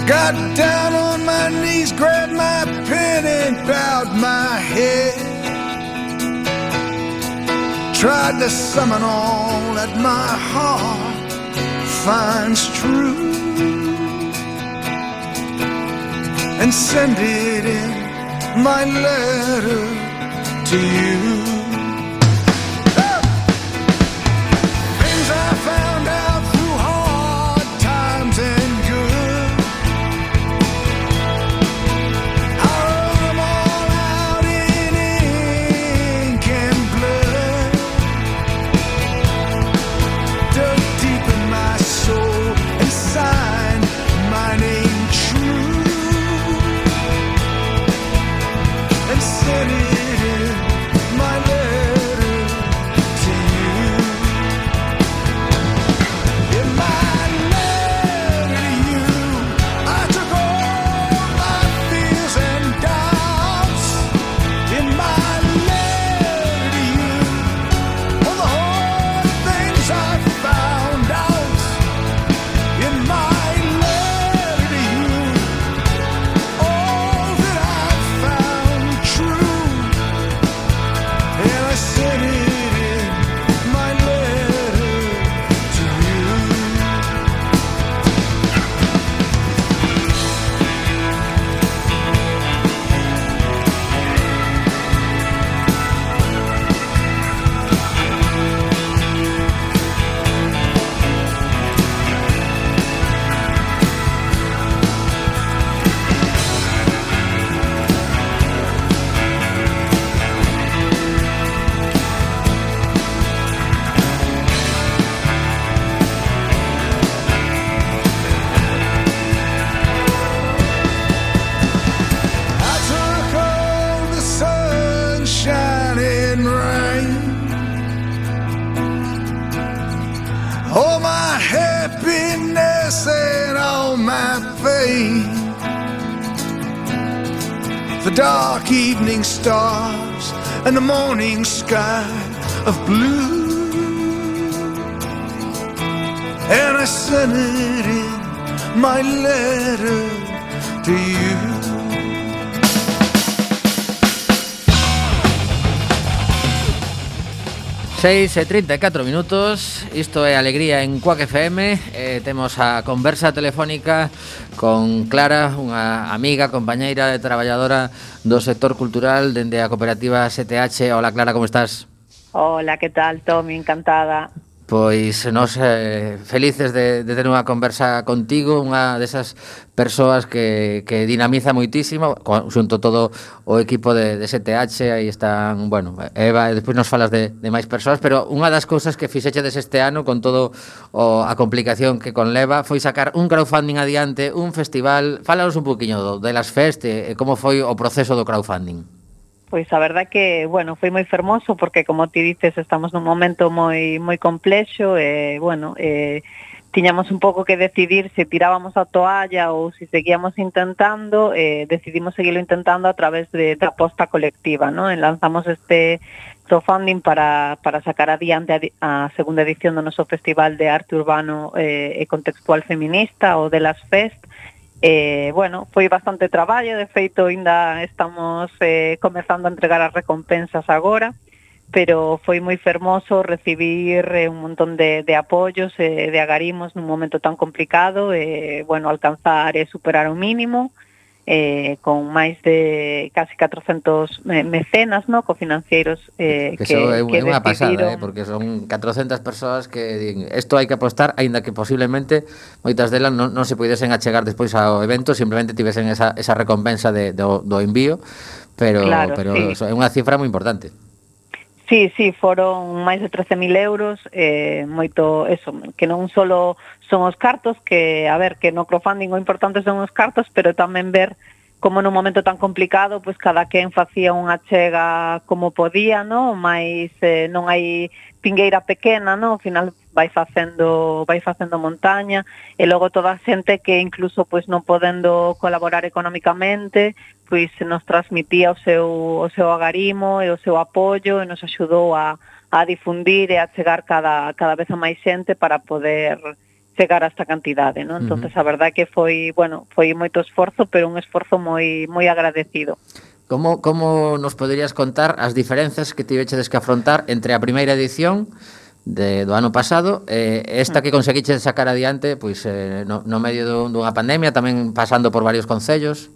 Got down on my knees, grabbed my pen and bowed my head. Tried to summon all that my heart finds true and send it in my letter to you. Things I found out through hard times and good, I wrote them all out in ink and blood, dug deep in my soul and signed my name true and sent it in my letter to you. In my letter to you, I took all my fears and doubts. In my letter to you, all the hard things I found out. In my letter to you, all that I found true, and I sent it in my letter to you. I took all the sunshine and rain, all my happiness and all my pain, the dark evening stars and the morning sky of blue, and I sent it in my letter to you. seis e trinta e catro minutos, isto é Alegría en Quack F M. eh, Temos a conversa telefónica con Clara, unha amiga, compañeira e traballadora do sector cultural dende a cooperativa S T H. Hola Clara, como estás? Hola, ¿qué tal, Tommy? Encantada. Pois nos eh, felices de, de ter unha conversa contigo, unha desas persoas que, que dinamiza moitísimo, co- xunto todo o equipo de, de S T H, aí están, bueno, Eva, e despois nos falas de, de máis persoas, pero unha das cousas que fixechedes este ano con todo o, a complicación que conleva foi sacar un crowdfunding adiante, un festival. Fálanos un poquinho do, de las Fest e, e como foi o proceso do crowdfunding. Pois a verdad que, bueno, foi moi fermoso porque, como ti dices, estamos nun momento moi moi complexo e, bueno, eh, tiñamos un pouco que decidir se tirábamos a toalla ou se seguíamos intentando, eh, decidimos seguirlo intentando a través de, da aposta colectiva, ¿no? E lanzamos este crowdfunding para, para sacar adiante a, di- a segunda edición do noso Festival de Arte Urbano eh, e Contextual Feminista, o de las Fest. Eh, bueno, foi bastante traballo, de feito ainda estamos eh, comezando a entregar as recompensas agora, pero foi moi fermoso recibir eh, un montón de, de apoios, eh, de agarimos nun momento tan complicado, e, eh, bueno, alcanzar e superar o mínimo, eh, con máis de casi catrocentos eh, mecenas, no, cofinanceiros eh, Que, que, eso é, que é unha pasada, decidiron... eh, porque son catrocentas persoas que din, isto hai que apostar, aínda que posiblemente moitas delas non, non se puidesen achegar despois ao evento, simplemente tivesen esa, esa recompensa de, do, do envío, pero, Claro, pero sí. é unha cifra moi importante. Sí, sí, foron máis de trece mil euros, eh, moito, eso, que non solo son os cartos, que, a ver, que no crowdfunding o importante son os cartos, pero tamén ver como nun momento tan complicado, pois cada quen facía unha chega como podía, no? Mais eh, non hai pingueira pequena, no? Ao final vai facendo, vai facendo montaña, e logo toda a xente que incluso pois non podendo colaborar económicamente, pois nos transmitía o seu, o seu agarimo e o seu apoio e nos axudou a, a difundir e a chegar cada, cada vez a máis xente para poder chegar a esta cantidade, ¿no? Entonces a verdade que foi, bueno, foi moito esforzo, pero un esforzo moi moi agradecido. Como, como nos poderías contar as diferenzas que tivechedes que afrontar entre a primeira edición de, do ano pasado e eh, esta que conseguiches sacar adiante pois eh, no, no medio dun, dunha pandemia, tamén pasando por varios concellos?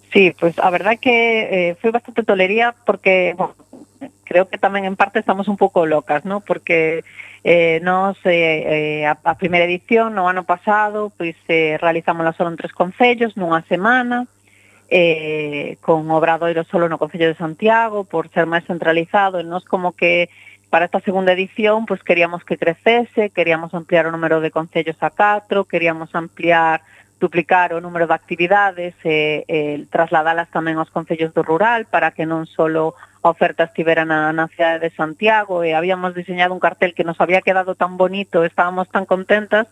Sí, pues a verdad que eh, foi bastante tolería porque, bueno, creo que tamén en parte estamos un pouco locas, ¿no? Porque eh, nos, eh, eh, a, a primeira edición no ano pasado, pois eh, realizámola solo en tres concellos, nunha semana, eh, con obradoiro solo no Concello de Santiago, por ser máis centralizado, e nos como que para esta segunda edición, pois queríamos que crecese, queríamos ampliar o número de concellos a catro, queríamos ampliar duplicar o número de actividades e eh, trasladalas tamén aos concellos do rural para que non solo a oferta estivera na, na cidade de Santiago, e habíamos diseñado un cartel que nos había quedado tan bonito, estábamos tan contentas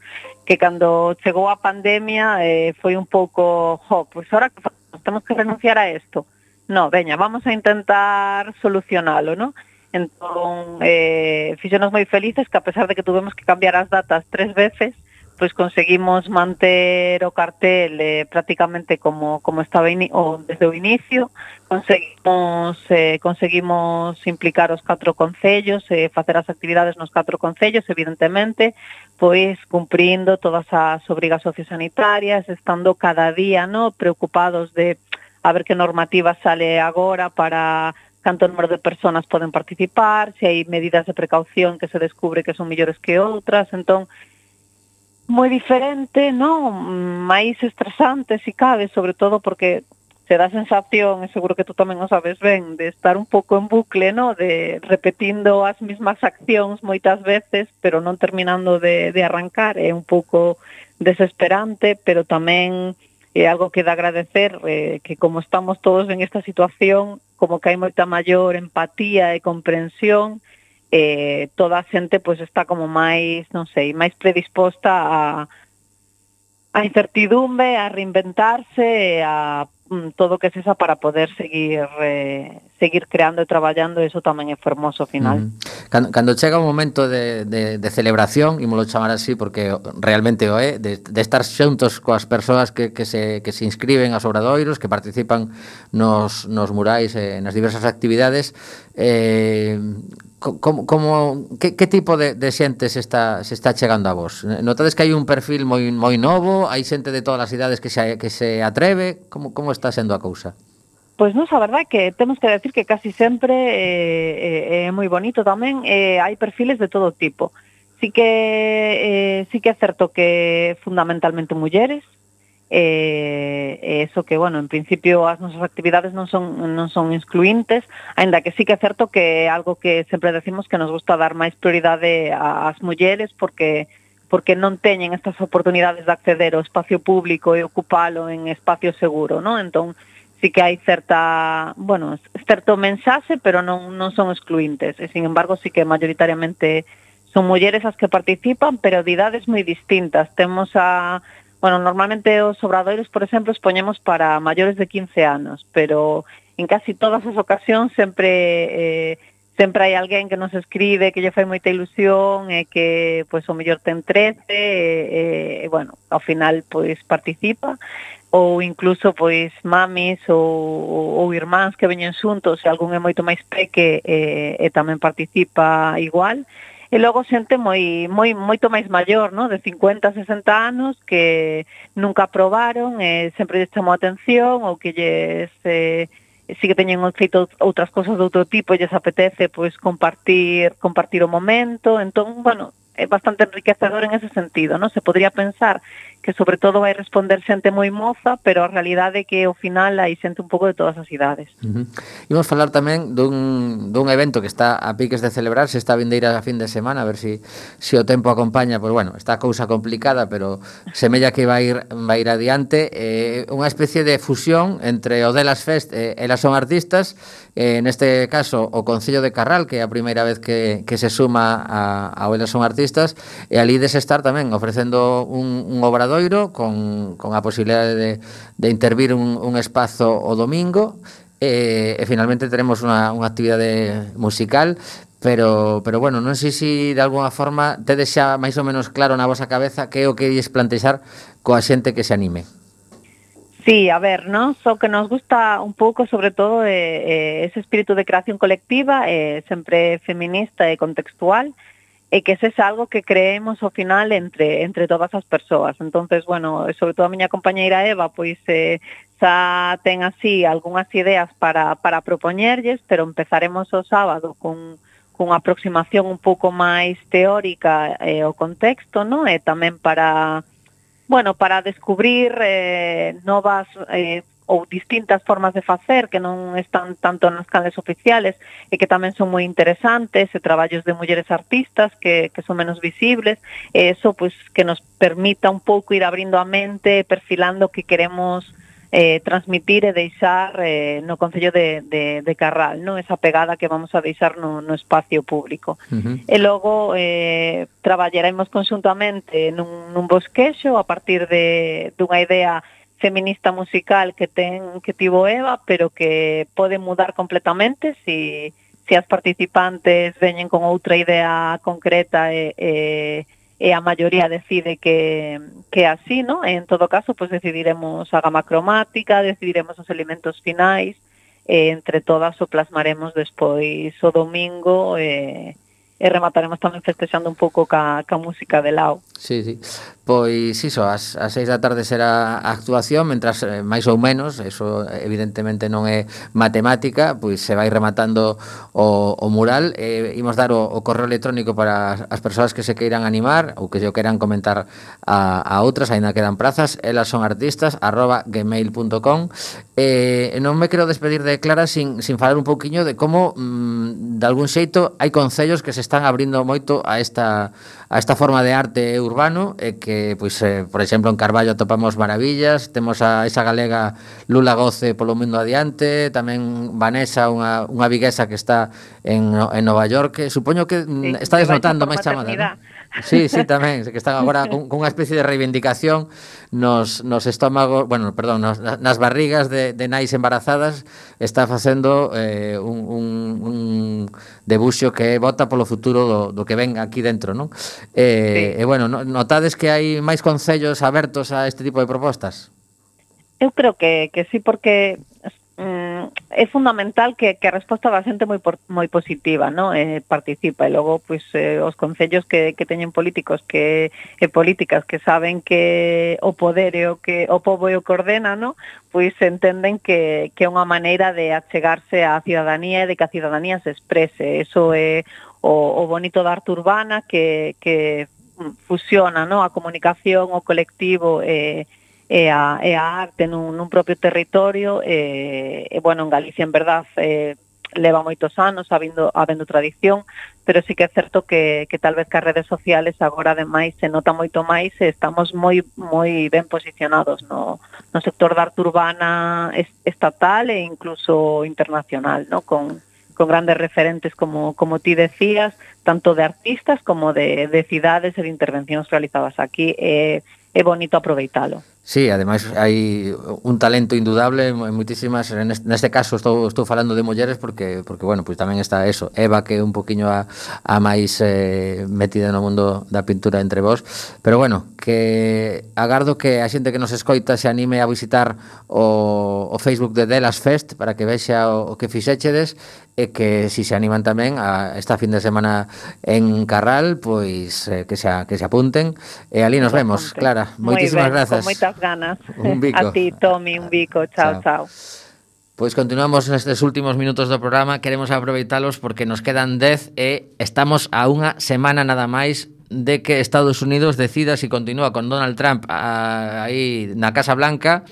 que cando chegou a pandemia eh, foi un pouco, jo, pois ahora que facemos, temos que renunciar a isto. No, veña, vamos a intentar solucionalo, ¿no? Entón, eh, fixonos moi felices que a pesar de que tuvemos que cambiar as datas tres veces, pois conseguimos manter o cartel eh, prácticamente como como estaba ini o desde o inicio, conseguimos eh, conseguimos implicar os catro concellos e eh, facer as actividades nos catro concellos, evidentemente, pois cumprindo todas as obrigas sociosanitarias, estando cada día, no, preocupados de a ver que normativa sale agora para canto número de persoas poden participar, se hai medidas de precaución que se descubre que son mellores que outras, entón moi diferente, non? Máis estresante, si cabe, sobre todo porque se dá a sensación, e seguro que tú tamén o sabes ben, de estar un pouco en bucle, no? De repetindo as mismas accións moitas veces, pero non terminando de, de arrancar. É un pouco desesperante, pero tamén é algo que dá agradecer, eh, que como estamos todos en esta situación, como que hai moita maior empatía e comprensión, eh, toda a xente pois está como máis, non sei, máis predisposta a a incertidumbre, a reinventarse, a mm, todo o que sexa para poder seguir eh, seguir creando e traballando, e iso tamén é fermoso ao final. Mm. Cando, cando chega un momento de, de, de celebración, ímolo chamar así porque realmente o é, de, de estar xuntos coas persoas que, que, se, que se inscriben aos obradoiros, que participan nos, nos murais e nas diversas actividades, eh, como, como que, que tipo de, de xente se está, se está chegando a vos? Notades que hai un perfil moi, moi novo, hai xente de todas as idades que se, que se atreve, como, como está sendo a cousa? Pois non, a verdade que temos que decir que casi sempre é, é, é moi bonito tamén, eh, hai perfiles de todo tipo. sí que eh, sí que é certo que fundamentalmente mulleres, eh, eso que, bueno, en principio as nosas actividades non son non son excluintes, aínda que sí que é certo que é algo que sempre decimos que nos gusta dar máis prioridade ás mulleres porque porque non teñen estas oportunidades de acceder ao espacio público e ocupalo en espacio seguro, ¿no? Entón, sí que hai certa, bueno, certo mensaxe, pero non non son excluintes, e sin embargo sí que mayoritariamente son mulleres as que participan, pero de idades moi distintas. Temos a, bueno, normalmente os obradoiros, por exemplo, os poñemos para maiores de quince anos, pero en casi todas as ocasións sempre eh, sempre hai alguén que nos escribe que lle fai moita ilusión e que, pois, o mellor ten trece e, e, bueno, ao final, pois, participa, ou incluso, pois, mamis ou, ou irmáns que veñen xuntos e algún é moito máis peque e, e tamén participa igual. E logo xente moi moi moito máis maior, ¿no? De cincuenta, sesenta anos que nunca probaron, e sempre lles chamou a atención ou que lles eh, si que teñen feito outras cosas de outro tipo e lles apetece pois compartir compartir o momento. Entón, bueno, é bastante enriquecedor en ese sentido, ¿no? Se podría pensar que sobre todo vai responder xente moi moza, pero a realidade é que ao final hai xente un pouco de todas as idades. Uh-huh. Imos falar tamén dun, dun evento que está a piques de celebrarse esta vindeira a fin de semana, a ver si, si o tempo acompaña, pois bueno, está a cousa complicada, pero semella que vai ir, vai ir adiante, eh, unha especie de fusión entre o Delas Fest e Elas Son Artistas, eh, neste caso o Concello de Carral, que é a primeira vez que, que se suma a, a Elas Son Artistas, e ali des estar tamén ofrecendo un, un obradoiro con, con a posibilidade de, de intervir un, un espazo o domingo, e, e finalmente teremos unha, unha actividade musical, pero, pero bueno, non sei se de alguna forma tedes xa máis ou menos claro na vosa cabeza que é o que ides plantexar coa xente que se anime. Sí, a ver, ¿no? So que nos gusta un pouco, sobre todo, eh, eh, ese espírito de creación colectiva, eh, sempre feminista e contextual, e que ese é algo que creemos ao final entre entre todas as persoas. Entonces, bueno, sobre todo a miña compañeira Eva, pois eh, xa ten así algunhas ideas para, para propoñerlles, pero empezaremos o sábado con, con unha aproximación un pouco máis teórica eh, ao contexto, ¿no? E tamén para, bueno, para descubrir eh, novas eh, ou distintas formas de facer que non están tanto nas canles oficiales e que tamén son moi interesantes, e traballos de mulleres artistas que, que son menos visibles, e eso pois que nos permita un pouco ir abrindo a mente, perfilando o que queremos eh, transmitir e deixar eh, no Concello de, de, de Carral, ¿no? Esa pegada que vamos a deixar no, no espacio público. Uh-huh. E logo eh, traballaremos conxuntamente nun, nun bosquexo a partir de dunha idea feminista musical que ten que tivo Eva, pero que pode mudar completamente si, si as participantes veñen con outra idea concreta e, e, e a maioría decide que, que así, ¿no? En todo caso, pues decidiremos a gama cromática, decidiremos os elementos finais, e entre todas o plasmaremos despois o domingo e, e remataremos tamén festexando un pouco ca, ca música de Lao. Sí, sí. Pois iso, as, as seis da tarde será a actuación, mentras eh, máis ou menos, eso evidentemente non é matemática, pois se vai rematando o, o mural. Eh, imos dar o, o correo electrónico para as persoas que se queiran animar ou que se o queiran comentar a, a outras, aínda quedan prazas, elas son artistas arroba gmail punto com. Eh, non me quero despedir de Clara sin, sin falar un pouquiño de como mmm, de algún xeito hai concellos que se están abrindo moito a esta a esta forma de arte urbano, e que, pois, eh, por exemplo, en Carballo atopamos maravillas, temos a esa galega Lula Goce polo mundo adiante, tamén Vanessa, unha, unha viguesa que está en, en Nova York, supoño que sí, está desnotando máis chamada, ¿no? Sí, sí, tamén, que están agora con, con unha especie de reivindicación nos, nos estómagos, bueno, perdón, nos, nas barrigas de, de nais embarazadas, está facendo eh, un, un, un debuxo que vota polo futuro do, do que ven aquí dentro, non? E, sí. E bueno, notades que hai máis concellos abertos a este tipo de propostas? Eu creo que, que sí, porque mm, é fundamental que, que a resposta da xente moi por, moi positiva, ¿no? Eh, participa, e logo pois eh, os concellos que, que teñen políticos que e políticas que saben que o poder é o que o pobo é o que ordena, ¿no? Pois entenden que, que é unha maneira de achegarse á cidadanía e de que a cidadanía se exprese. Eso é o, o bonito da arte urbana que, que fusiona, ¿no?, a comunicación, o colectivo e, e, a, e a arte nun, nun propio territorio. E, e bueno, en Galicia en verdad eh, leva moitos anos habendo, habendo tradición, pero sí que é certo que, que tal vez que as redes sociales agora ademais se nota moito máis e estamos moi moi ben posicionados no, no sector da arte urbana estatal e incluso internacional, ¿no?, con, con grandes referentes como, como ti decías, tanto de artistas como de, de cidades e de intervencións realizadas aquí. É, é bonito aproveitalo. Sí, ademais hai un talento indudable en moitísimas, neste caso estou estou falando de mulleres porque porque bueno, pois tamén está eso, Eva, que é un poquiño a, a máis eh, metida no mundo da pintura entre vós, pero bueno, que agardo que a xente que nos escoita se anime a visitar o, o Facebook de Delas Fest para que vexa o, o que fixéchedes, e que si se animan tamén a esta fin de semana en Carral, pois eh, que se que se apunten, e ali nos vemos, Clara. Moitísimas grazas. Con moitas ganas. Un bico. A ti, Tommy, un bico. Chao, chao. Pois continuamos nestes últimos minutos do programa. Queremos aproveitalos porque nos quedan dez e estamos a unha semana nada máis de que Estados Unidos decida se si continúa con Donald Trump a, aí na Casa Blanca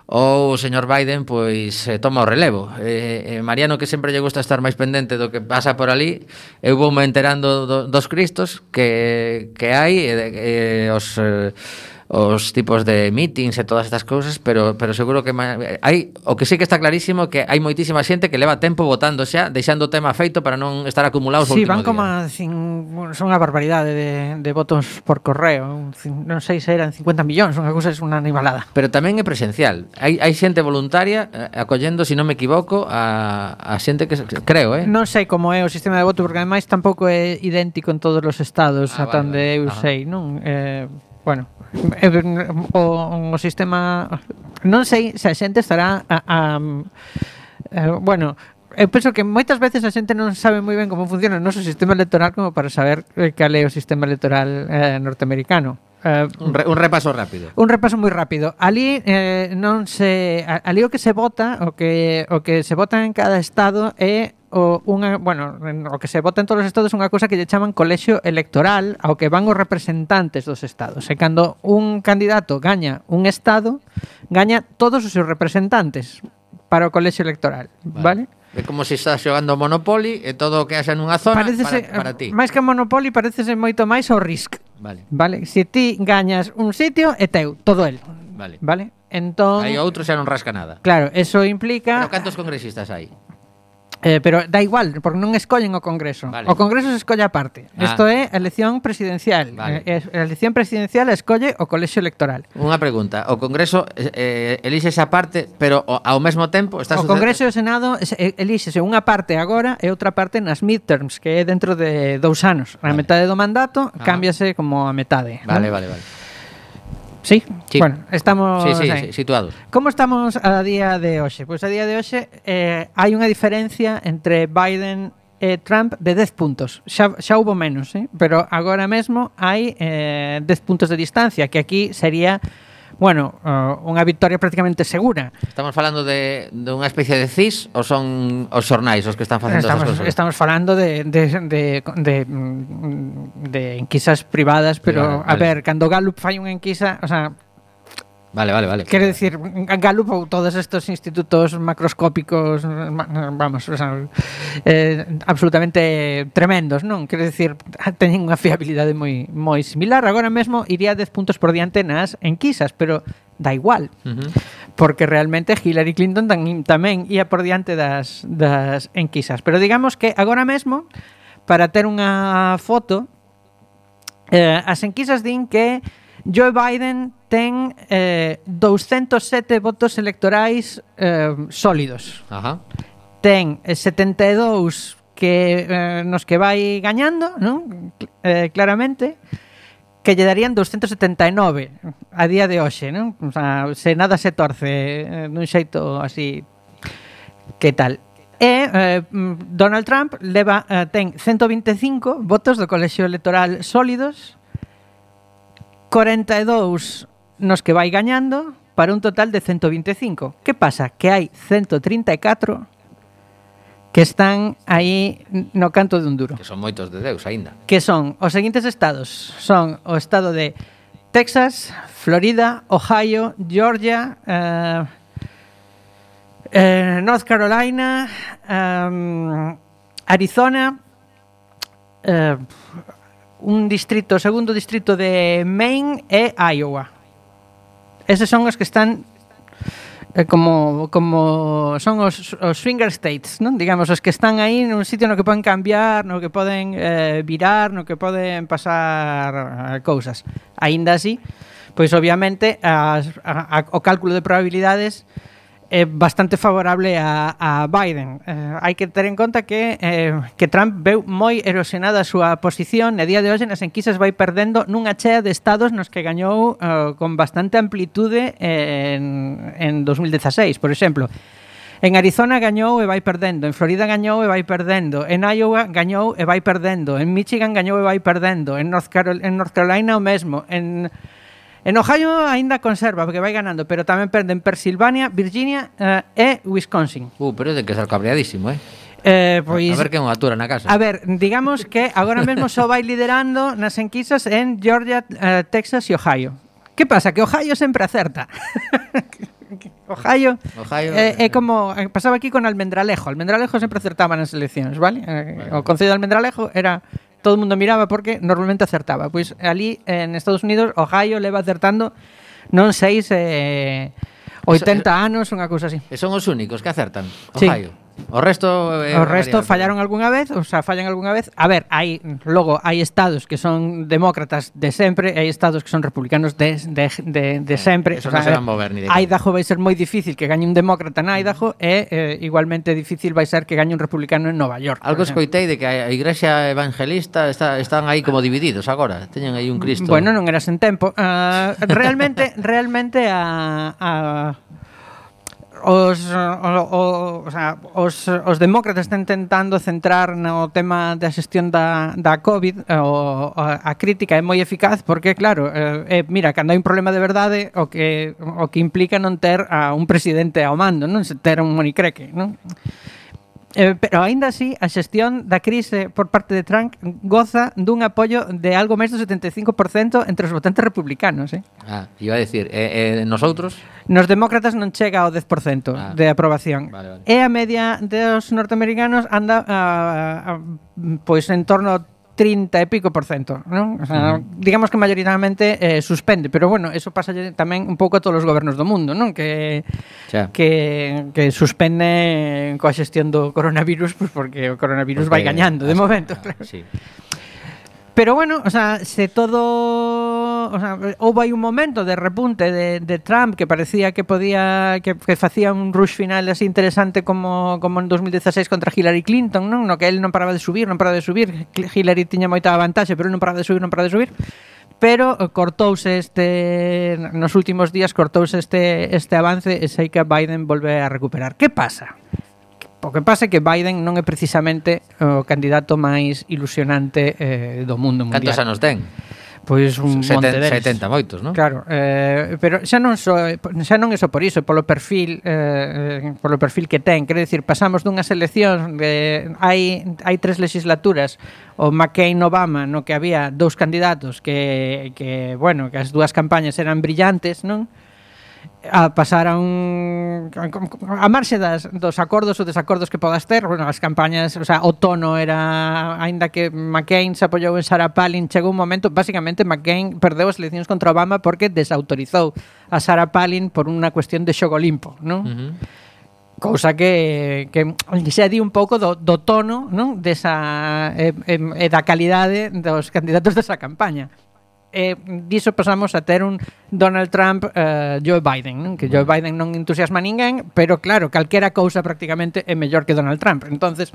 ou o señor Biden pois eh, toma o relevo. Eh, eh, Mariano, que sempre lle gusta estar máis pendente do que pasa por ali, eu vou me enterando do, dos cristos que, que hai e eh, os... Eh, os tipos de meetings e todas estas cousas, pero pero seguro que hai, o que sí que está clarísimo que hai moitísima xente que leva tempo votando xa, deixando o tema feito para non estar acumulados o sí, último van como día. A cin, son unha barbaridade de, de votos por correo, non sei se eran cincuenta millóns, unha cousa é unha animalada. Pero tamén é presencial. Hai hai xente voluntaria eh, acollendo, se si non me equivoco, a a xente que creo, eh. Non sei como é o sistema de voto porque ademais tampouco é idéntico en todos os estados, ah, ata vale, onde vale. eu Ajá. sei, non? Eh, bueno, o, o sistema non sei se a xente estará a, a, a, bueno, eu penso que moitas veces a xente non sabe moi ben como funciona o noso sistema electoral como para saber cal é o sistema electoral eh, norteamericano. Uh, un, re, un repaso rápido. Un repaso moi rápido. Ali eh, non se ali o que se vota, o que o que se vota en cada estado é o unha, bueno, o que se vota en todos os estados é unha cousa que lle chaman colexio electoral, ao que van os representantes dos estados. E cando un candidato gaña un estado, gaña todos os seus representantes para o colexio electoral, vale? vale? É como se estás xogando Monopoly e todo o que haxa nunha zona parecese, para, para ti. Máis que Monopoly parecese moito máis ao Risk. Vale. Vale, se ti gañas un sitio é teu, todo el. Vale. Vale? Entón, aí outro xa non rasca nada. Claro, eso implica. Pero cantos congresistas hai? Eh, pero da igual, porque non escollen o Congreso. Vale. O Congreso se escolle aparte. Ah. Isto é elección presidencial. Vale. Eh, a elección presidencial escolle o colexio electoral. Unha pregunta, o Congreso eh, elixe esa parte, pero o, ao mesmo tempo está O Congreso e o Senado elíxese unha parte agora e outra parte nas midterms, que é dentro de dous anos. Na Vale. metade do mandato Ajá. cámbiase como a metade. Vale, ¿no? vale, vale. Sí? Sí. Bueno, estamos Sí, sí, aí. sí, situados. Como estamos a día de hoxe? Pois a día de hoxe eh, hai unha diferencia entre Biden e Trump de dez puntos. Xa, xa hubo menos, eh? Pero agora mesmo hai eh, dez puntos de distancia, que aquí sería, bueno, uh, unha victoria prácticamente segura. Estamos falando de, de unha especie de C I S ou son os xornais os que están facendo Estamos, esas cousas? estamos falando de, de, de, de, mm, de enquisas privadas, pero Privada, a vale. ver, cando Gallup fai unha enquisa, o sea, Vale, vale, vale. quero decir, Gallup ou todos estos institutos macroscópicos, vamos, o sea, eh, absolutamente tremendos, non? Quero decir, teñen unha fiabilidade moi moi similar. Agora mesmo iría dez puntos por diante nas enquisas, pero da igual. Uh-huh. Porque realmente Hillary Clinton tam, tamén ia por diante das, das enquisas. Pero digamos que agora mesmo, para ter unha foto, eh, as enquisas din que Joe Biden ten eh, doscientos sete votos electorais eh, sólidos. Ajá. Ten eh, setenta e dous que eh, nos que vai gañando, non? Eh, claramente, que lle darían doscientos setenta e nove a día de hoxe, non? O sea, se nada se torce eh, dun xeito así, que tal? E eh, Donald Trump leva eh, ten ciento vinte e cinco votos do colexio electoral sólidos, cuarenta e dous nos que vai gañando, para un total de ciento vinte e cinco. Que pasa? Que hai ciento trinta e catro que están aí no canto de un duro. Que son moitos de Deus aínda. Que son os seguintes estados. Son o estado de Texas, Florida, Ohio, Georgia, eh, eh, North Carolina, um, Arizona, eh, un distrito, segundo distrito de Maine e Iowa. Eses son os que están eh, como como son os, os swinger states, non? Digamos, os que están aí nun sitio no que poden cambiar, no que poden eh, virar, no que poden pasar eh, cousas. Aínda así, pois obviamente as, a, a, o cálculo de probabilidades é bastante favorable a, a Biden. Eh, hai que ter en conta que eh, que Trump veu moi erosionada a súa posición e día de hoxe nas enquisas vai perdendo nunha chea de estados nos que gañou eh, con bastante amplitude en, en dos mil dieciséis, por exemplo. En Arizona gañou e vai perdendo, en Florida gañou e vai perdendo, en Iowa gañou e vai perdendo, en Michigan gañou e vai perdendo, en North, Carol- en North Carolina o mesmo, en En Ohio aínda conserva, porque vai ganando, pero tamén perde en Pensilvania, Virginia eh, e Wisconsin. Uh, pero é de que ser cabreadísimo, eh? Eh, pois, a ver quen o atura na casa. A ver, digamos que agora mesmo só vai liderando nas enquisas en Georgia, eh, Texas e Ohio. Que pasa? Que Ohio sempre acerta. Ohio, Ohio é, é como eh, pasaba aquí con Almendralejo. Almendralejo sempre acertaba nas eleccións, vale? Eh, o Concello de Almendralejo era todo o mundo miraba porque normalmente acertaba. Pois ali en Estados Unidos Ohio leva acertando non seis eh, oitenta anos, unha cousa así. E son os únicos que acertan, Sí. Ohio. O resto eh, O resto variable. fallaron algunha vez, o sea, fallan algunha vez. A ver, hai logo hai estados que son demócratas de sempre, e hai estados que son republicanos de de de, de sempre. Eso O sea, non se van mover ni de Idaho vai ser moi difícil que gañe un demócrata en Idaho e eh, igualmente difícil vai ser que gañe un republicano en Nova York. Algo por exemplo. escoitei de que a Igrexa Evangelista está, están aí como divididos agora. Teñen aí un Cristo. Bueno, non eras en tempo. Uh, realmente realmente a a Os, o, o, o, sea, os, os demócratas están intentando centrar no tema da xestión da, da COVID. O, a, a crítica é moi eficaz porque, claro, eh, mira, cando hai un problema de verdade o que, o que implica non ter a un presidente ao mando, non se ter un monicreque, non? Eh, pero aínda así, a xestión da crise por parte de Trump goza dun apoio de algo máis do setenta e cinco por cento entre os votantes republicanos, eh? Ah, iba a decir, eh, eh, nosotros Nos demócratas non chega ao dez por cento Ah. de aprobación. Vale, vale. E a media dos norteamericanos anda a, a, pois en torno ao trinta e pico por cento, non? O sea, uh-huh. digamos que mayoritariamente eh, suspende, pero bueno, eso pasa tamén un pouco a todos os gobernos do mundo, non? Que xa. que que suspende coa xestión do coronavirus, pues porque o coronavirus Porque- vai gañando de ah, momento, ah, claro. sí. Pero bueno, o sea, se todo, o sea, houve aí un momento de repunte de, de Trump que parecía que podía que, que facía un rush final así interesante como como en dos mil dieciséis contra Hillary Clinton, non? No que él non paraba de subir, non paraba de subir. Hillary tiña moita vantaxe, pero él non paraba de subir, non paraba de subir. Pero eh, cortouse este nos últimos días cortouse este este avance e sei que Biden volve a recuperar. Que pasa? O que pasa é que Biden non é precisamente o candidato máis ilusionante eh, do mundo mundial. Cantos anos ten? Pois un Seten- monte deles. setenta moitos, non? Claro, eh, pero xa non só xa non é só por iso, polo perfil eh, polo perfil que ten, quero dicir, pasamos dunhas eleccións de hai hai tres legislaturas, o McCain-Obama, no que había dous candidatos que que, bueno, que as dúas campañas eran brillantes, non? A pasar a un a marxe das, dos acordos ou desacordos que podas ter, bueno, as campañas, o sea, o tono era, aínda que McCain se apoiou en Sarah Palin, chegou un momento, basicamente McCain perdeu as eleccións contra Obama porque desautorizou a Sarah Palin por unha cuestión de xogo limpo, non? Uh-huh. Cousa que, que xa di un pouco do, do tono, non? Desa, e, e, e da calidade dos candidatos desa campaña. E diso pasamos a ter un Donald Trump uh, Joe Biden, non? Que Joe Biden non entusiasma a ninguén, pero claro, calquera cousa prácticamente é mellor que Donald Trump. Entonces,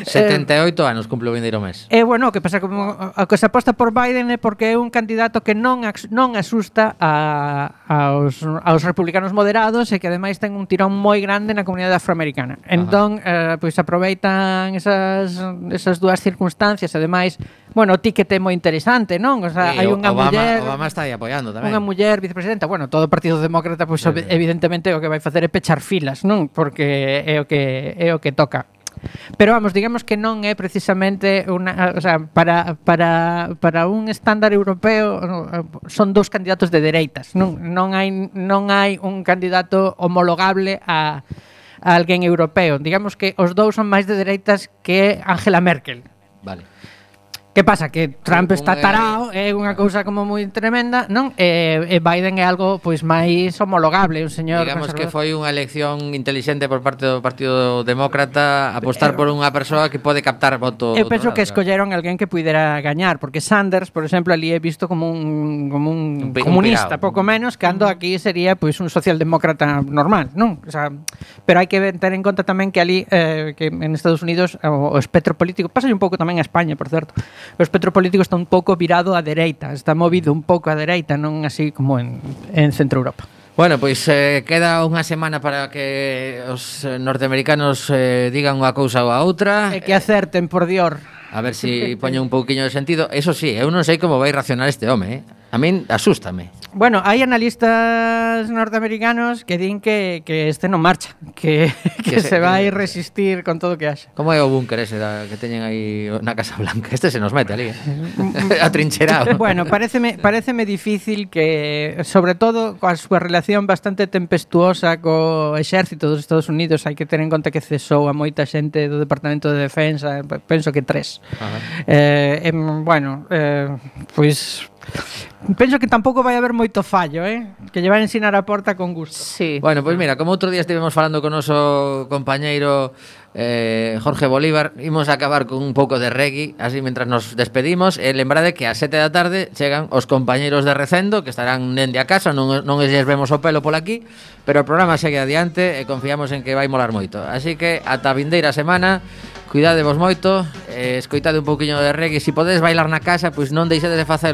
setenta e oito anos cumple o vindeiro mes. E bueno, o que pasa como o que se aposta por Biden é porque é un candidato que non ax- non asusta a, aos, aos republicanos moderados e que ademais ten un tirón moi grande na comunidade afroamericana. Entón, eh, pois aproveitan esas esas dúas circunstancias, ademais, bueno, o ticket é moi interesante, non? O sea, Sí, hai unha Obama, muller Obama está aí apoiando tamén. Unha muller vicepresidenta, bueno, todo o Partido Demócrata pois Sí, ob- sí. evidentemente o que vai facer é pechar filas, non? Porque é o que é o que toca. Pero vamos, digamos que non é precisamente unha, o sea, para, para, para un estándar europeo son dous candidatos de dereitas, non, non hai non hai un candidato homologable a, a alguén europeo. Digamos que os dous son máis de dereitas que Angela Merkel. Vale. Que pasa? Que Trump Un- está un, eh, tarao, é unha cousa como moi tremenda, non? E, e Biden é algo pois máis homologable, un señor Digamos que conservador. foi unha elección inteligente por parte do Partido Demócrata apostar por unha persoa que pode captar voto. Eu do penso outro que lado, escolleron alguén que pudera gañar, porque Sanders, por exemplo, ali é visto como un como Un un pi- un comunista, pirao. pouco menos, cando aquí sería pois un socialdemócrata normal, non? O sea, pero hai que ver- ter en conta tamén que ali eh, que en Estados Unidos o, o espectro político, pasa un pouco tamén a España, por certo. O espectro político está un pouco virado á dereita, está movido un pouco á dereita, non así como en en Centro Europa. Bueno, pois eh, queda unha semana para que os eh, norteamericanos eh, digan unha cousa ou a outra. E que acerten, por Dior. A ver si poñen un pouquiño de sentido. Eso sí, eu non sei como vai racionar este home, eh? A min asústame. Bueno, hai analistas norteamericanos que din que, que este non marcha, que, que, Que se- se vai resistir con todo o que haxa. Como é o búnker ese da, que teñen aí na Casa Blanca? Este se nos mete ali, eh? Atrincherado. Bueno, pareceme, pareceme difícil que, sobre todo, coa súa relación bastante tempestuosa co exército dos Estados Unidos, hai que ter en conta que cesou a moita xente do Departamento de Defensa, penso que tres. Ajá. Eh, em, bueno, eh, pois penso que tampouco vai haber moito fallo, eh? Que lle vai ensinar a porta con gusto. Sí. Bueno, pois mira, como outro día estivemos falando con o noso compañeiro eh, Jorge Bolívar, imos a acabar con un pouco de reggae, así mentras nos despedimos, e lembrade que ás sete da tarde chegan os compañeiros de Recendo, que estarán dende a casa, non, non lles vemos o pelo por aquí, pero o programa segue adiante e confiamos en que vai molar moito. Así que ata a vindeira semana, cuidadevos moito, eh, escoitade un pouquiño de reggae, se si podedes bailar na casa, pois non deixedes de facelo.